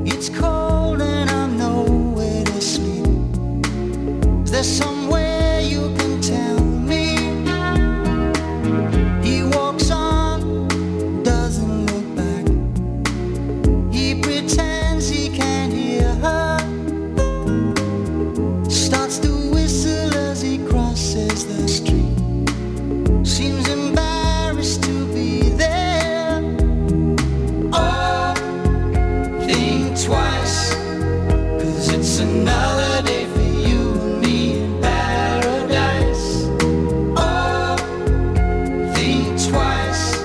It's cold and I'm nowhere to sleep. Is there somewhere you can tell me? He walks on, doesn't look back. He pretends he can't hear her. Starts to whistle as he crosses the street. Seems embarrassed to be there. Oh, think twice, 'cause it's another day for you and me in paradise. Oh, think twice,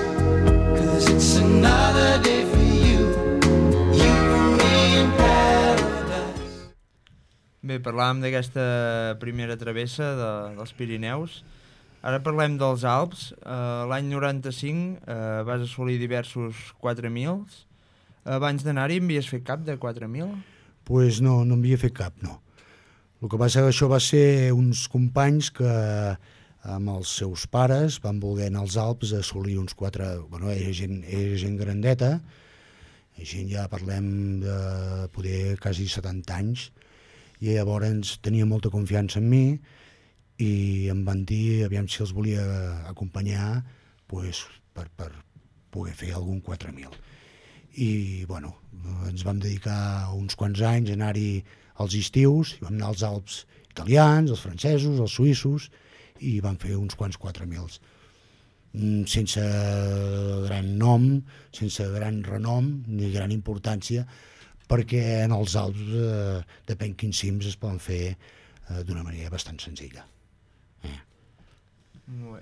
'cause it's another day for you and me in paradise. Bé, parlàvem d'aquesta primera travessa dels Pirineus. Ara parlem dels Alps. L'any 95 vas assolir diversos 4.000. Abans d'anar-hi havies fet cap de 4.000? Pues no havia fet cap, no. El que passa que això va ser uns companys que amb els seus pares van voler anar als Alps a assolir uns 4... Bueno, era gent grandeta, gent ja parlem de poder quasi 70 anys, i llavors tenia molta confiança en mi i em van dir aviam si els volia acompanyar pues, per poder fer algun 4.000. I bueno, ens vam dedicar uns quants anys a anar-hi als estius, i vam anar als Alps italians, els francesos, els suïssos, i vam fer uns quants 4.000. Sense gran nom, sense gran renom, ni gran importància, perquè en els Alps, depèn quins cims, es poden fer d'una manera bastant senzilla.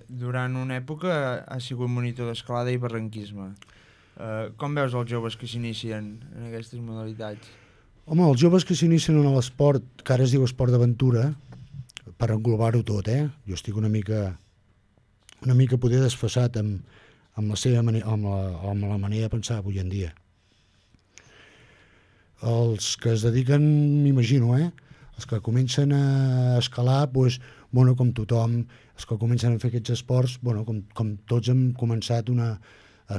Durant una època has sigut monitor d'escalada i barranquisme. Com veus els joves que s'inicien en aquestes modalitats? Home, els joves que s'inicien en l'esport, que ara es diu esport d'aventura, per englobar-ho tot, jo estic una mica poder desfasat amb la seva manera, amb la manera de pensar avui en dia. Els que es dediquen, m'imagino, els que comencen a escalar, doncs, bueno, com tothom, els que comencen a fer aquests esports, bueno, com tots hem començat a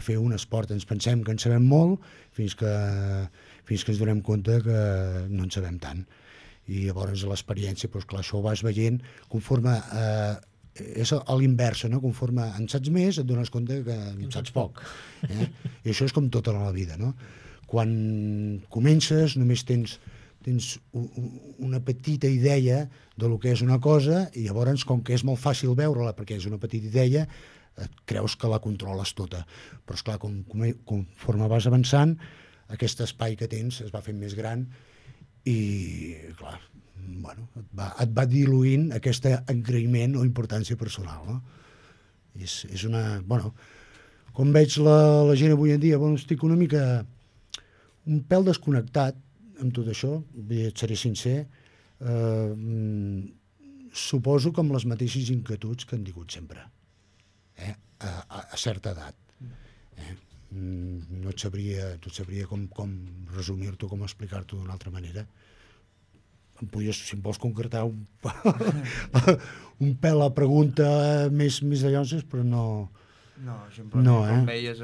fer un esport. Ens pensem que en sabem molt fins que ens donem compte que no en sabem tant. I llavors l'experiència, doncs clar, això ho vas veient conforme... és a l'inversa, no? Conforme en saps més et dones compte que en saps poc. I això és com tota la vida, no? Quan comences només tens una petita idea de lo que és una cosa i llavors, com que és molt fàcil veure-la perquè és una petita idea, creus que la controles tota. Però esclar, conforme vas avançant, aquest espai que tens es va fent més gran i, clar, bueno, et va diluint aquest engreïment o importància personal, no? És una... Bueno, com veig la gent avui en dia, bueno, estic una mica... un pèl desconnectat amb tot això, et seré sincer, suposo que amb les mateixes inquietuds que han tingut sempre, a certa edat. No et sabria com resumir-t'ho, com explicar-t'ho d'una altra manera. Em podies, si em vols concretar un pèl a pregunta més de llonses, però no... No, simplement com veies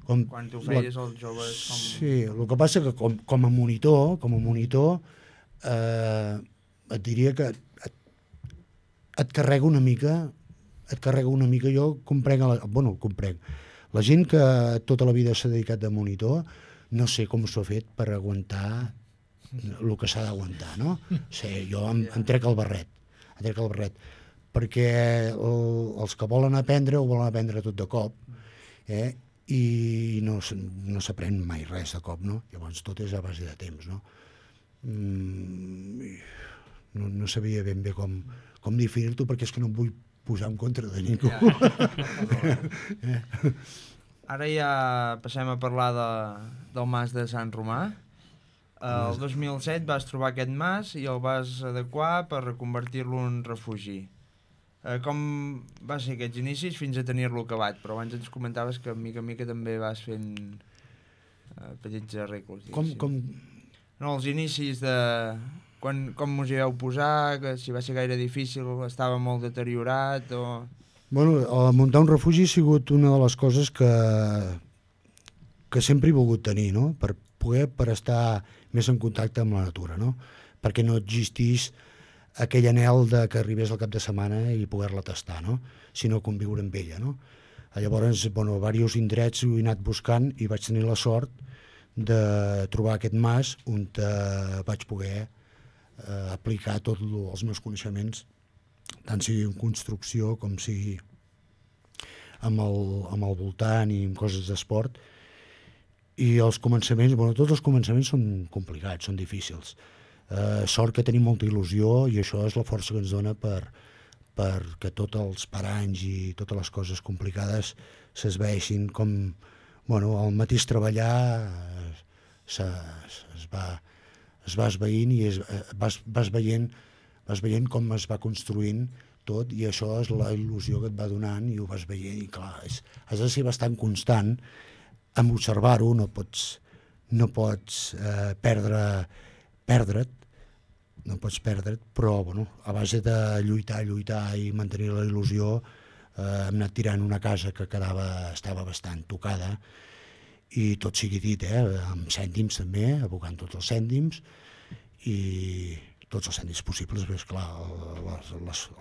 quan tu feies els joves... Sí, el que passa que com a monitor et diria que et carrega una mica, jo comprenc, la gent que tota la vida s'ha dedicat de monitor, no sé com s'ho ha fet per aguantar el que s'ha d'aguantar, no? Sí, jo em trec el barret, perquè els que volen aprendre ho volen aprendre tot de cop, i no s'aprèn mai res de cop, no? Llavors tot és a base de temps, no? No sabia ben bé com definir-t'ho, perquè és que no em vull posar en contra de ningú. Ara ja passem a parlar del mas de Sant Romà. El 2007 vas trobar aquest mas i el vas adequar per reconvertir-lo en refugi. Com va ser aquests inicis fins a tenir-lo acabat? Però abans ens comentaves que mica en mica també vas fent petits arreglos. No, els inicis de... Com us hi vau posar, que si va ser gaire difícil, estava molt deteriorat o... Bueno, muntar un refugi ha sigut una de les coses que sempre he volgut tenir, no? Per estar més en contacte amb la natura, no? Perquè no existís aquell anhel de que arribés al cap de setmana i poder-la tastar, no? Sinó conviure amb ella, no? Llavors, bueno, diversos indrets ho he anat buscant i vaig tenir la sort de trobar aquest mas on vaig poder aplicar tots els meus coneixements, tant sigui en construcció com sigui amb el voltant i amb coses d'esport. I els començaments, bueno, tots els començaments són complicats, són difícils. Sort que tenim molta il·lusió i això és la força que ens dona perquè tots els paranys i totes les coses complicades s'esveixin com, bueno, el mateix treballar es va esveint i vas veient com es va construint tot, i això és la il·lusió que et va donant i ho vas veient, i clar, has de ser bastant constant en observar-ho, no pots perdre't, però bueno, a base de lluitar i mantenir la il·lusió, hem anat tirant una casa que estava bastant tocada, i tot sigui dit, amb cèntims també, abocant tots els cèntims, i tots els cèntims possibles, perquè esclar,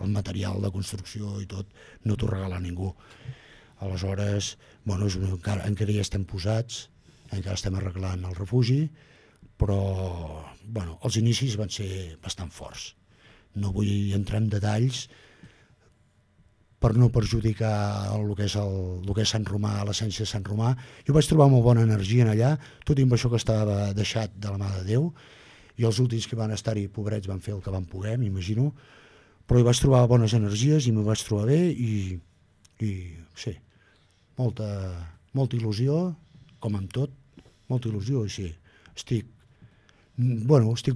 el material de construcció i tot no t'ho regala ningú. Aleshores, bueno, encara hi estem posats, encara estem arreglant el refugi, però bueno, els inicis van ser bastant forts. No vull entrar en detalls per no perjudicar el que és Sant Romà, l'essència de Sant Romà. Jo vaig trobar molt bona energia en allà, tot i amb això que estava deixat de la mà de Déu, i els últims que van estar-hi, pobrets, van fer el que van poder, m'imagino, però hi vaig trobar bones energies i m'hi vaig trobar bé i sí, molta il·lusió, com amb tot, molta il·lusió, i sí, estic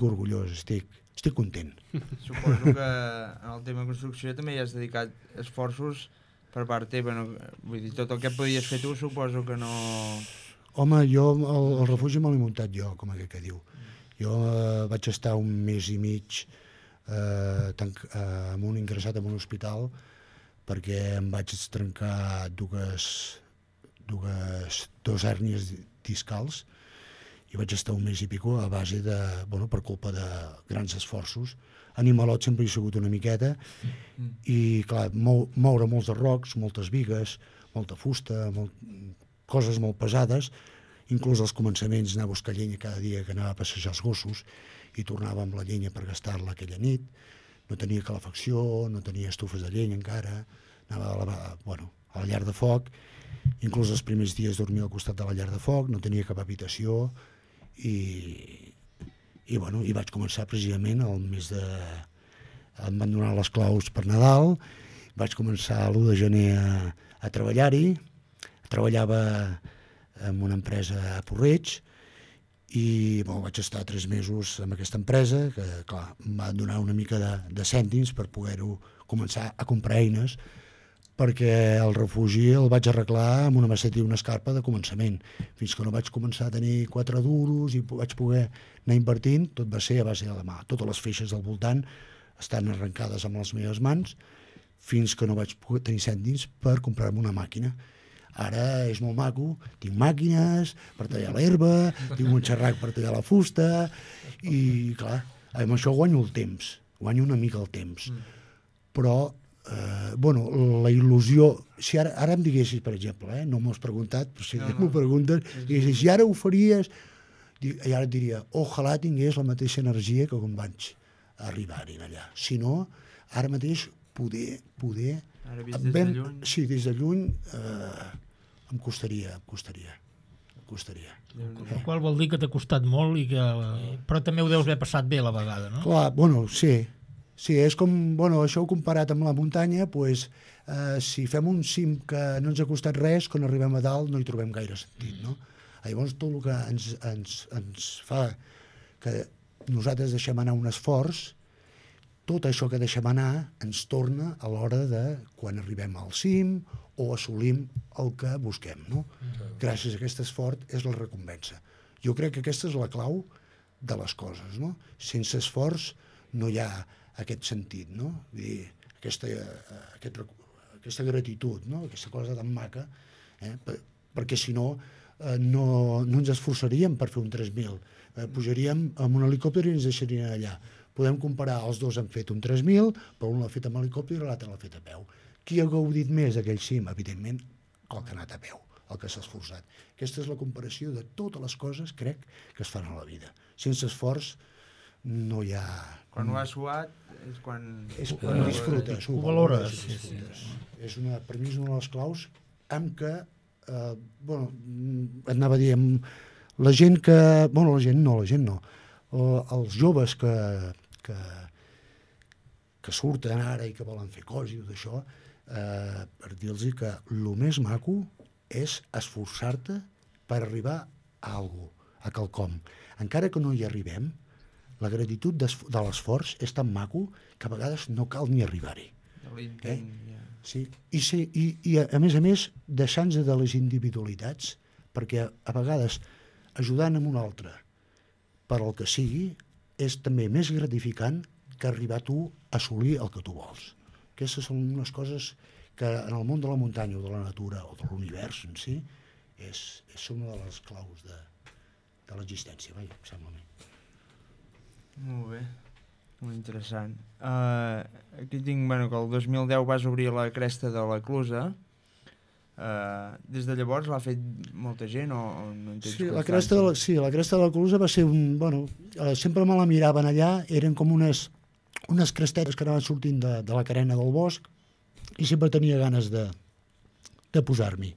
orgullós, estic content. Suposo que en el tema de construcció també hi has dedicat esforços per part teva, no? Vull dir, tot el que podies fer tu suposo que no... Home, jo el refugi me l'he muntat jo, com aquell que diu. Jo vaig estar un mes i mig ingressat en un hospital perquè em vaig trencar dos hèrnies discals i vaig estar un mes i pico a base de, bueno, per culpa de grans esforços. Animalot sempre he sigut una miqueta i, clar, moure molts arrocs, moltes bigues, molta fusta, coses molt pesades, inclús als començaments anar a buscar llenya cada dia que anava a passejar els gossos i tornava amb la llenya per gastar-la aquella nit. No tenia calefacció, no tenia estufes de llenya encara, anava a la llar de foc, inclús els primers dies dormia al costat de la llar de foc, no tenia cap habitació i vaig començar precisament el mes de... Em van donar les claus per Nadal, vaig començar l'1 de gener a treballar-hi, treballava en una empresa a Porreig i vaig estar 3 mesos amb aquesta empresa que, clar, em va donar una mica de cèntims per poder-ho començar a comprar eines, perquè el refugi el vaig arreglar amb una maceta i una escarpa de començament, fins que no vaig començar a tenir 4 duros i vaig poder anar invertint. Tot va ser a base de la mà, totes les feixes del voltant estan arrencades amb les meves mans fins que no vaig poder tenir cèntims per comprar-me una màquina. Ara és molt maco, tinc màquines per tallar l'herba, tinc un xerrac per tallar la fusta i, clar, amb això guanyo el temps, guanyo una mica el temps. Però, la il·lusió... Si ara em diguessis, per exemple, no m'ho has preguntat, però si m'ho preguntes, diguessis, si ara ho faries... I ara et diria, ojalà tingués la mateixa energia que quan vaig arribar-hi allà. Si no, ara mateix poder... Ara vist des de lluny? Sí, des de lluny em costaria. El qual vol dir que t'ha costat molt, però també ho deus haver passat bé a la vegada, no? Clar, bueno, sí, és com, bueno, això ho comparat amb la muntanya, doncs, si fem un cim que no ens ha costat res, quan arribem a dalt no hi trobem gaire sentit, no? Llavors tot el que ens fa que nosaltres deixem anar un esforç, tot això que deixem anar ens torna a l'hora de quan arribem al cim o assolim el que busquem, no? Gràcies a aquest esforç és la recompensa. Jo crec que aquesta és la clau de les coses, no? Sense esforç no hi ha aquest sentit, no? Vull dir, aquesta gratitud, no? Aquesta cosa tan maca, perquè si no, no ens esforçaríem per fer un 3.000. Pujaríem amb un helicòpter i ens deixarien allà. Podem comparar, els dos han fet un 3.000, però un l'ha fet amb helicòpter i l'altre l'ha fet a peu. Qui ha gaudit més d'aquell cim? Evidentment, el que ha anat a peu, el que s'ha esforçat. Aquesta és la comparació de totes les coses, crec, que es fan a la vida. Sense esforç no hi ha... Quan ho has suat és quan... És quan disfrutes, ho valores. És per mi és una de les claus amb què, bueno, anava a dir, la gent que... Bueno, la gent no. Els joves que surten ara i que volen fer coses i tot això, per dir-los que el més maco és esforçar-te per arribar a alguna cosa, a quelcom. Encara que no hi arribem, la gratitud de l'esforç és tan maco que a vegades no cal ni arribar-hi. Sí. I a més, deixant-nos de les individualitats, perquè a vegades ajudant amb un altre per al que sigui, és també més gratificant que arribar tu a assolir el que tu vols. Aquestes són unes coses que en el món de la muntanya o de la natura o de l'univers en si és una de les claus de l'existència, em sembla a mi. Molt bé, molt interessant. Aquí tinc que el 2010 vas obrir la cresta de la Clusa. Des de llavors l'ha fet molta gent o no en tens constància? La cresta de la Clusa va ser sempre me la miraven allà, eren com unes crestetes que anaven sortint de la carena del bosc i sempre tenia ganes de posar-m'hi.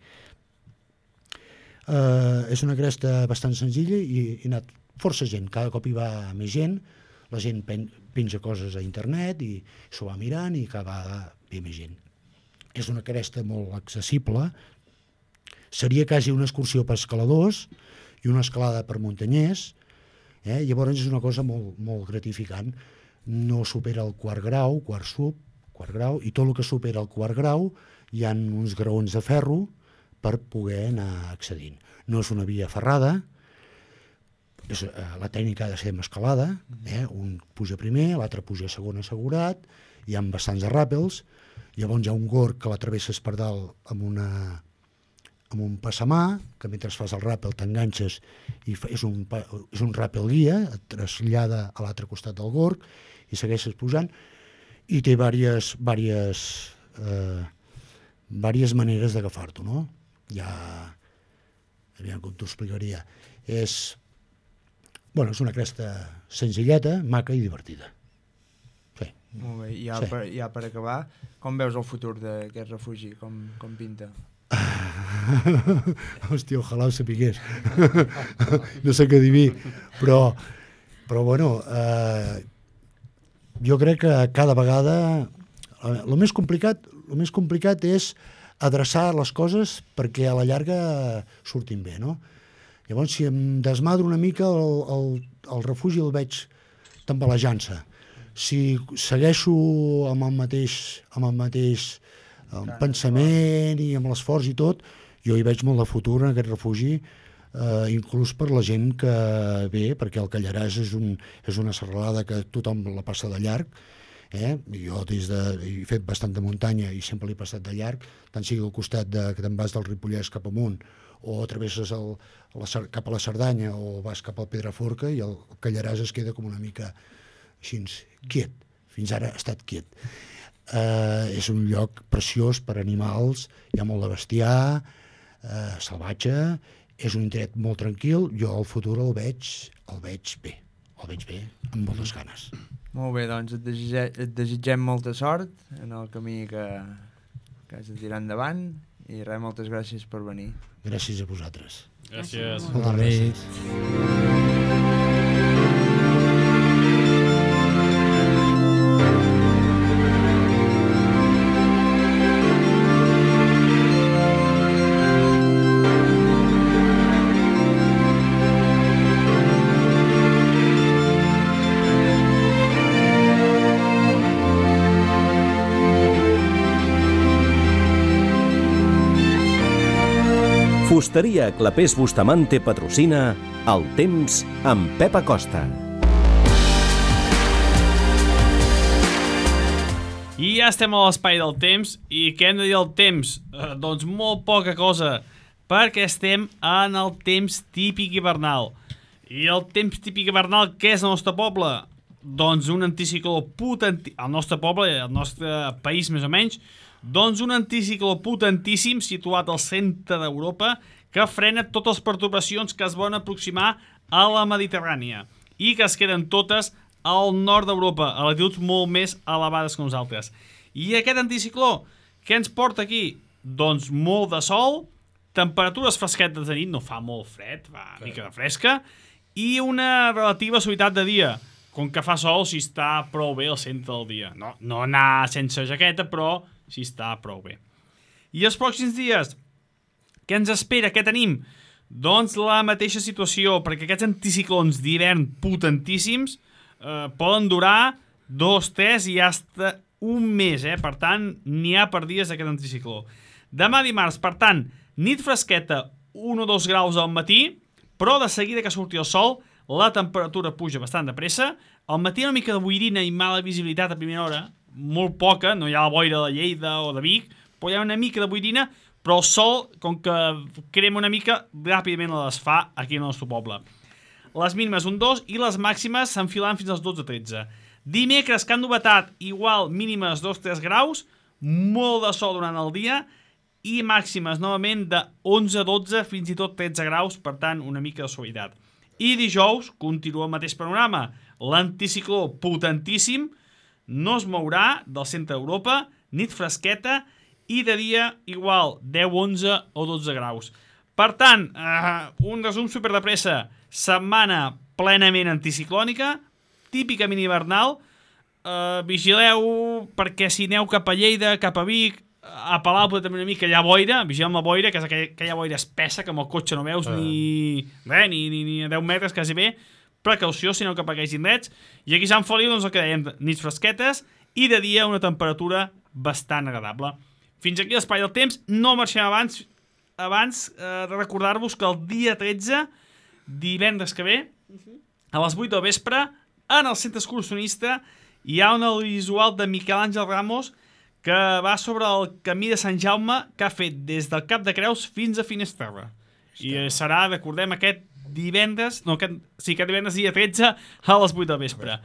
És una cresta bastant senzilla i ha anat força gent, cada cop hi va més gent, la gent penja coses a internet i s'ho va mirant i cada vegada ve més gent. És una cresta molt accessible, seria quasi una excursió per escaladors i una escalada per muntanyers, llavors és una cosa molt, molt gratificant. No supera el quart grau, quart grau, i tot el que supera el quart grau hi ha uns graons de ferro per poder anar accedint. No és una via ferrada, la tècnica ha de ser amb escalada, un puja primer, l'altre puja segon assegurat, hi ha bastants de ràpels, llavors hi ha un gorg que l'atravesses per dalt amb un passamà, que mentre fas el ràpel t'enganxes i és un ràpel guia, et trasllada a l'altre costat del gorg i segueixes pujant, i té diverses maneres d'agafar-t'ho, no? Aviam com t'ho explicaria. És una cresta senzilleta, maca i divertida. Molt bé, i ja per acabar, com veus el futur d'aquest refugi? Com pinta? Hòstia, ojalà ho sapigués. No sé què dir, però bueno, jo crec que cada vegada el més complicat és adreçar les coses perquè a la llarga surtin bé, no? Llavors, si em desmadro una mica, el refugi el veig tambalejant-se. Si segueixo amb el mateix pensament i amb l'esforç i tot, jo hi veig molt de futur en aquest refugi, inclús per la gent que ve, perquè el Callaràs és una serralada que tothom la passa de llarg. Jo he fet bastant de muntanya i sempre l'he passat de llarg, tant sigui al costat que te'n vas del Ripollès cap amunt o travesses cap a la Cerdanya o vas cap al Pedraforca i el Callaràs es queda com una mica així, quiet. Fins ara ha estat quiet. És un lloc preciós per animals, hi ha molt de bestiar, salvatge, és un indret molt tranquil, jo al futur el veig bé, amb moltes ganes. Molt bé, doncs et desitgem molta sort en el camí que has de tirar endavant i res, moltes gràcies per venir. Gràcies a vosaltres. Gràcies. Moltes gràcies. Fusteria Clapés Bustamante patrocina El Temps amb Pep Acosta. I ja estem a l'espai del temps. I què hem de dir del temps? Doncs molt poca cosa, perquè estem en el temps típic hivernal. I el temps típic hivernal, què és el nostre poble? Doncs un anticicló potentíssim, el nostre poble, el nostre país més o menys, doncs un anticicló potentíssim situat al centre d'Europa que frena totes les pertorbacions que es volen aproximar a la Mediterrània i que es queden totes al nord d'Europa, a latituds molt més elevades que nosaltres. I aquest anticicló, què ens porta aquí? Doncs molt de sol, temperatures fresquetes de nit, no fa molt fred, fa una mica de fresca, i una relativa suavitat de dia. Com que fa sol, si està prou bé al centre del dia. No anar sense jaqueta, però si està prou bé. I els pròxims dies, què ens espera? Què tenim? Doncs la mateixa situació, perquè aquests anticiclons d'hivern potentíssims poden durar 2, 3 i fins un mes, Per tant, n'hi ha per dies d'aquest anticicló. Demà dimarts, per tant, nit fresqueta, 1 o 2 graus al matí, però de seguida que surti el sol, la temperatura puja bastant de pressa. Al matí una mica de boirina i mala visibilitat a primera hora, molt poca, no hi ha la boira de Lleida o de Vic, però hi ha una mica de boirina, però el sol, com que crema una mica, ràpidament la desfà aquí al nostre poble. Les mínimes un 2 i les màximes s'enfilant fins als 12-13. Dimecres, que han novetat, igual mínimes 2-3 graus, molt de sol durant el dia i màximes novament de 11-12 fins i tot 13 graus, per tant una mica de suavitat. I dijous continua el mateix panorama. L'anticicló potentíssim no es mourà del centre d'Europa, nit fresqueta i de dia igual 10, 11 o 12 graus. Per tant, un resum super de pressa. Setmana plenament anticiclònica, típicament hivernal. Vigileu perquè si aneu cap a Lleida, cap a Vic, a Palau també una mica hi ha boira, vigileu amb la boira, que és aquella boira espessa que amb el cotxe no veus ni a 10 metres quasi bé. Precaució si aneu cap a aquells indrets. I aquí a Sant Feliu, doncs el que dèiem, nits fresquetes i de dia una temperatura bastant agradable. Fins aquí l'espai del temps. No marxem abans de recordar-vos que el dia 13, divendres que ve, a les 8 del vespre, en el centre excursionista, hi ha un audiovisual de Miquel Àngel Ramos que va sobre el camí de Sant Jaume que ha fet des del Cap de Creus fins a Finesterra. I serà, recordem, aquest divendres, aquest divendres dia 13 a les 8 del vespre.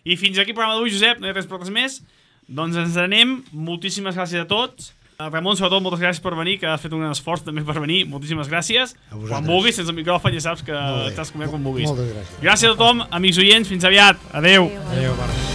I fins aquí el programa d'avui, Josep, no hi ha res per res més. Doncs ens anem. Moltíssimes gràcies a tots. Ramon, sobretot, moltes gràcies per venir, que has fet un gran esforç també per venir. Moltíssimes gràcies. Quan vulguis, sense el micròfon, ja saps que t'has comiat quan vulguis. Moltes gràcies. Gràcies a tothom, amics oients, fins aviat. Adeu. Adéu.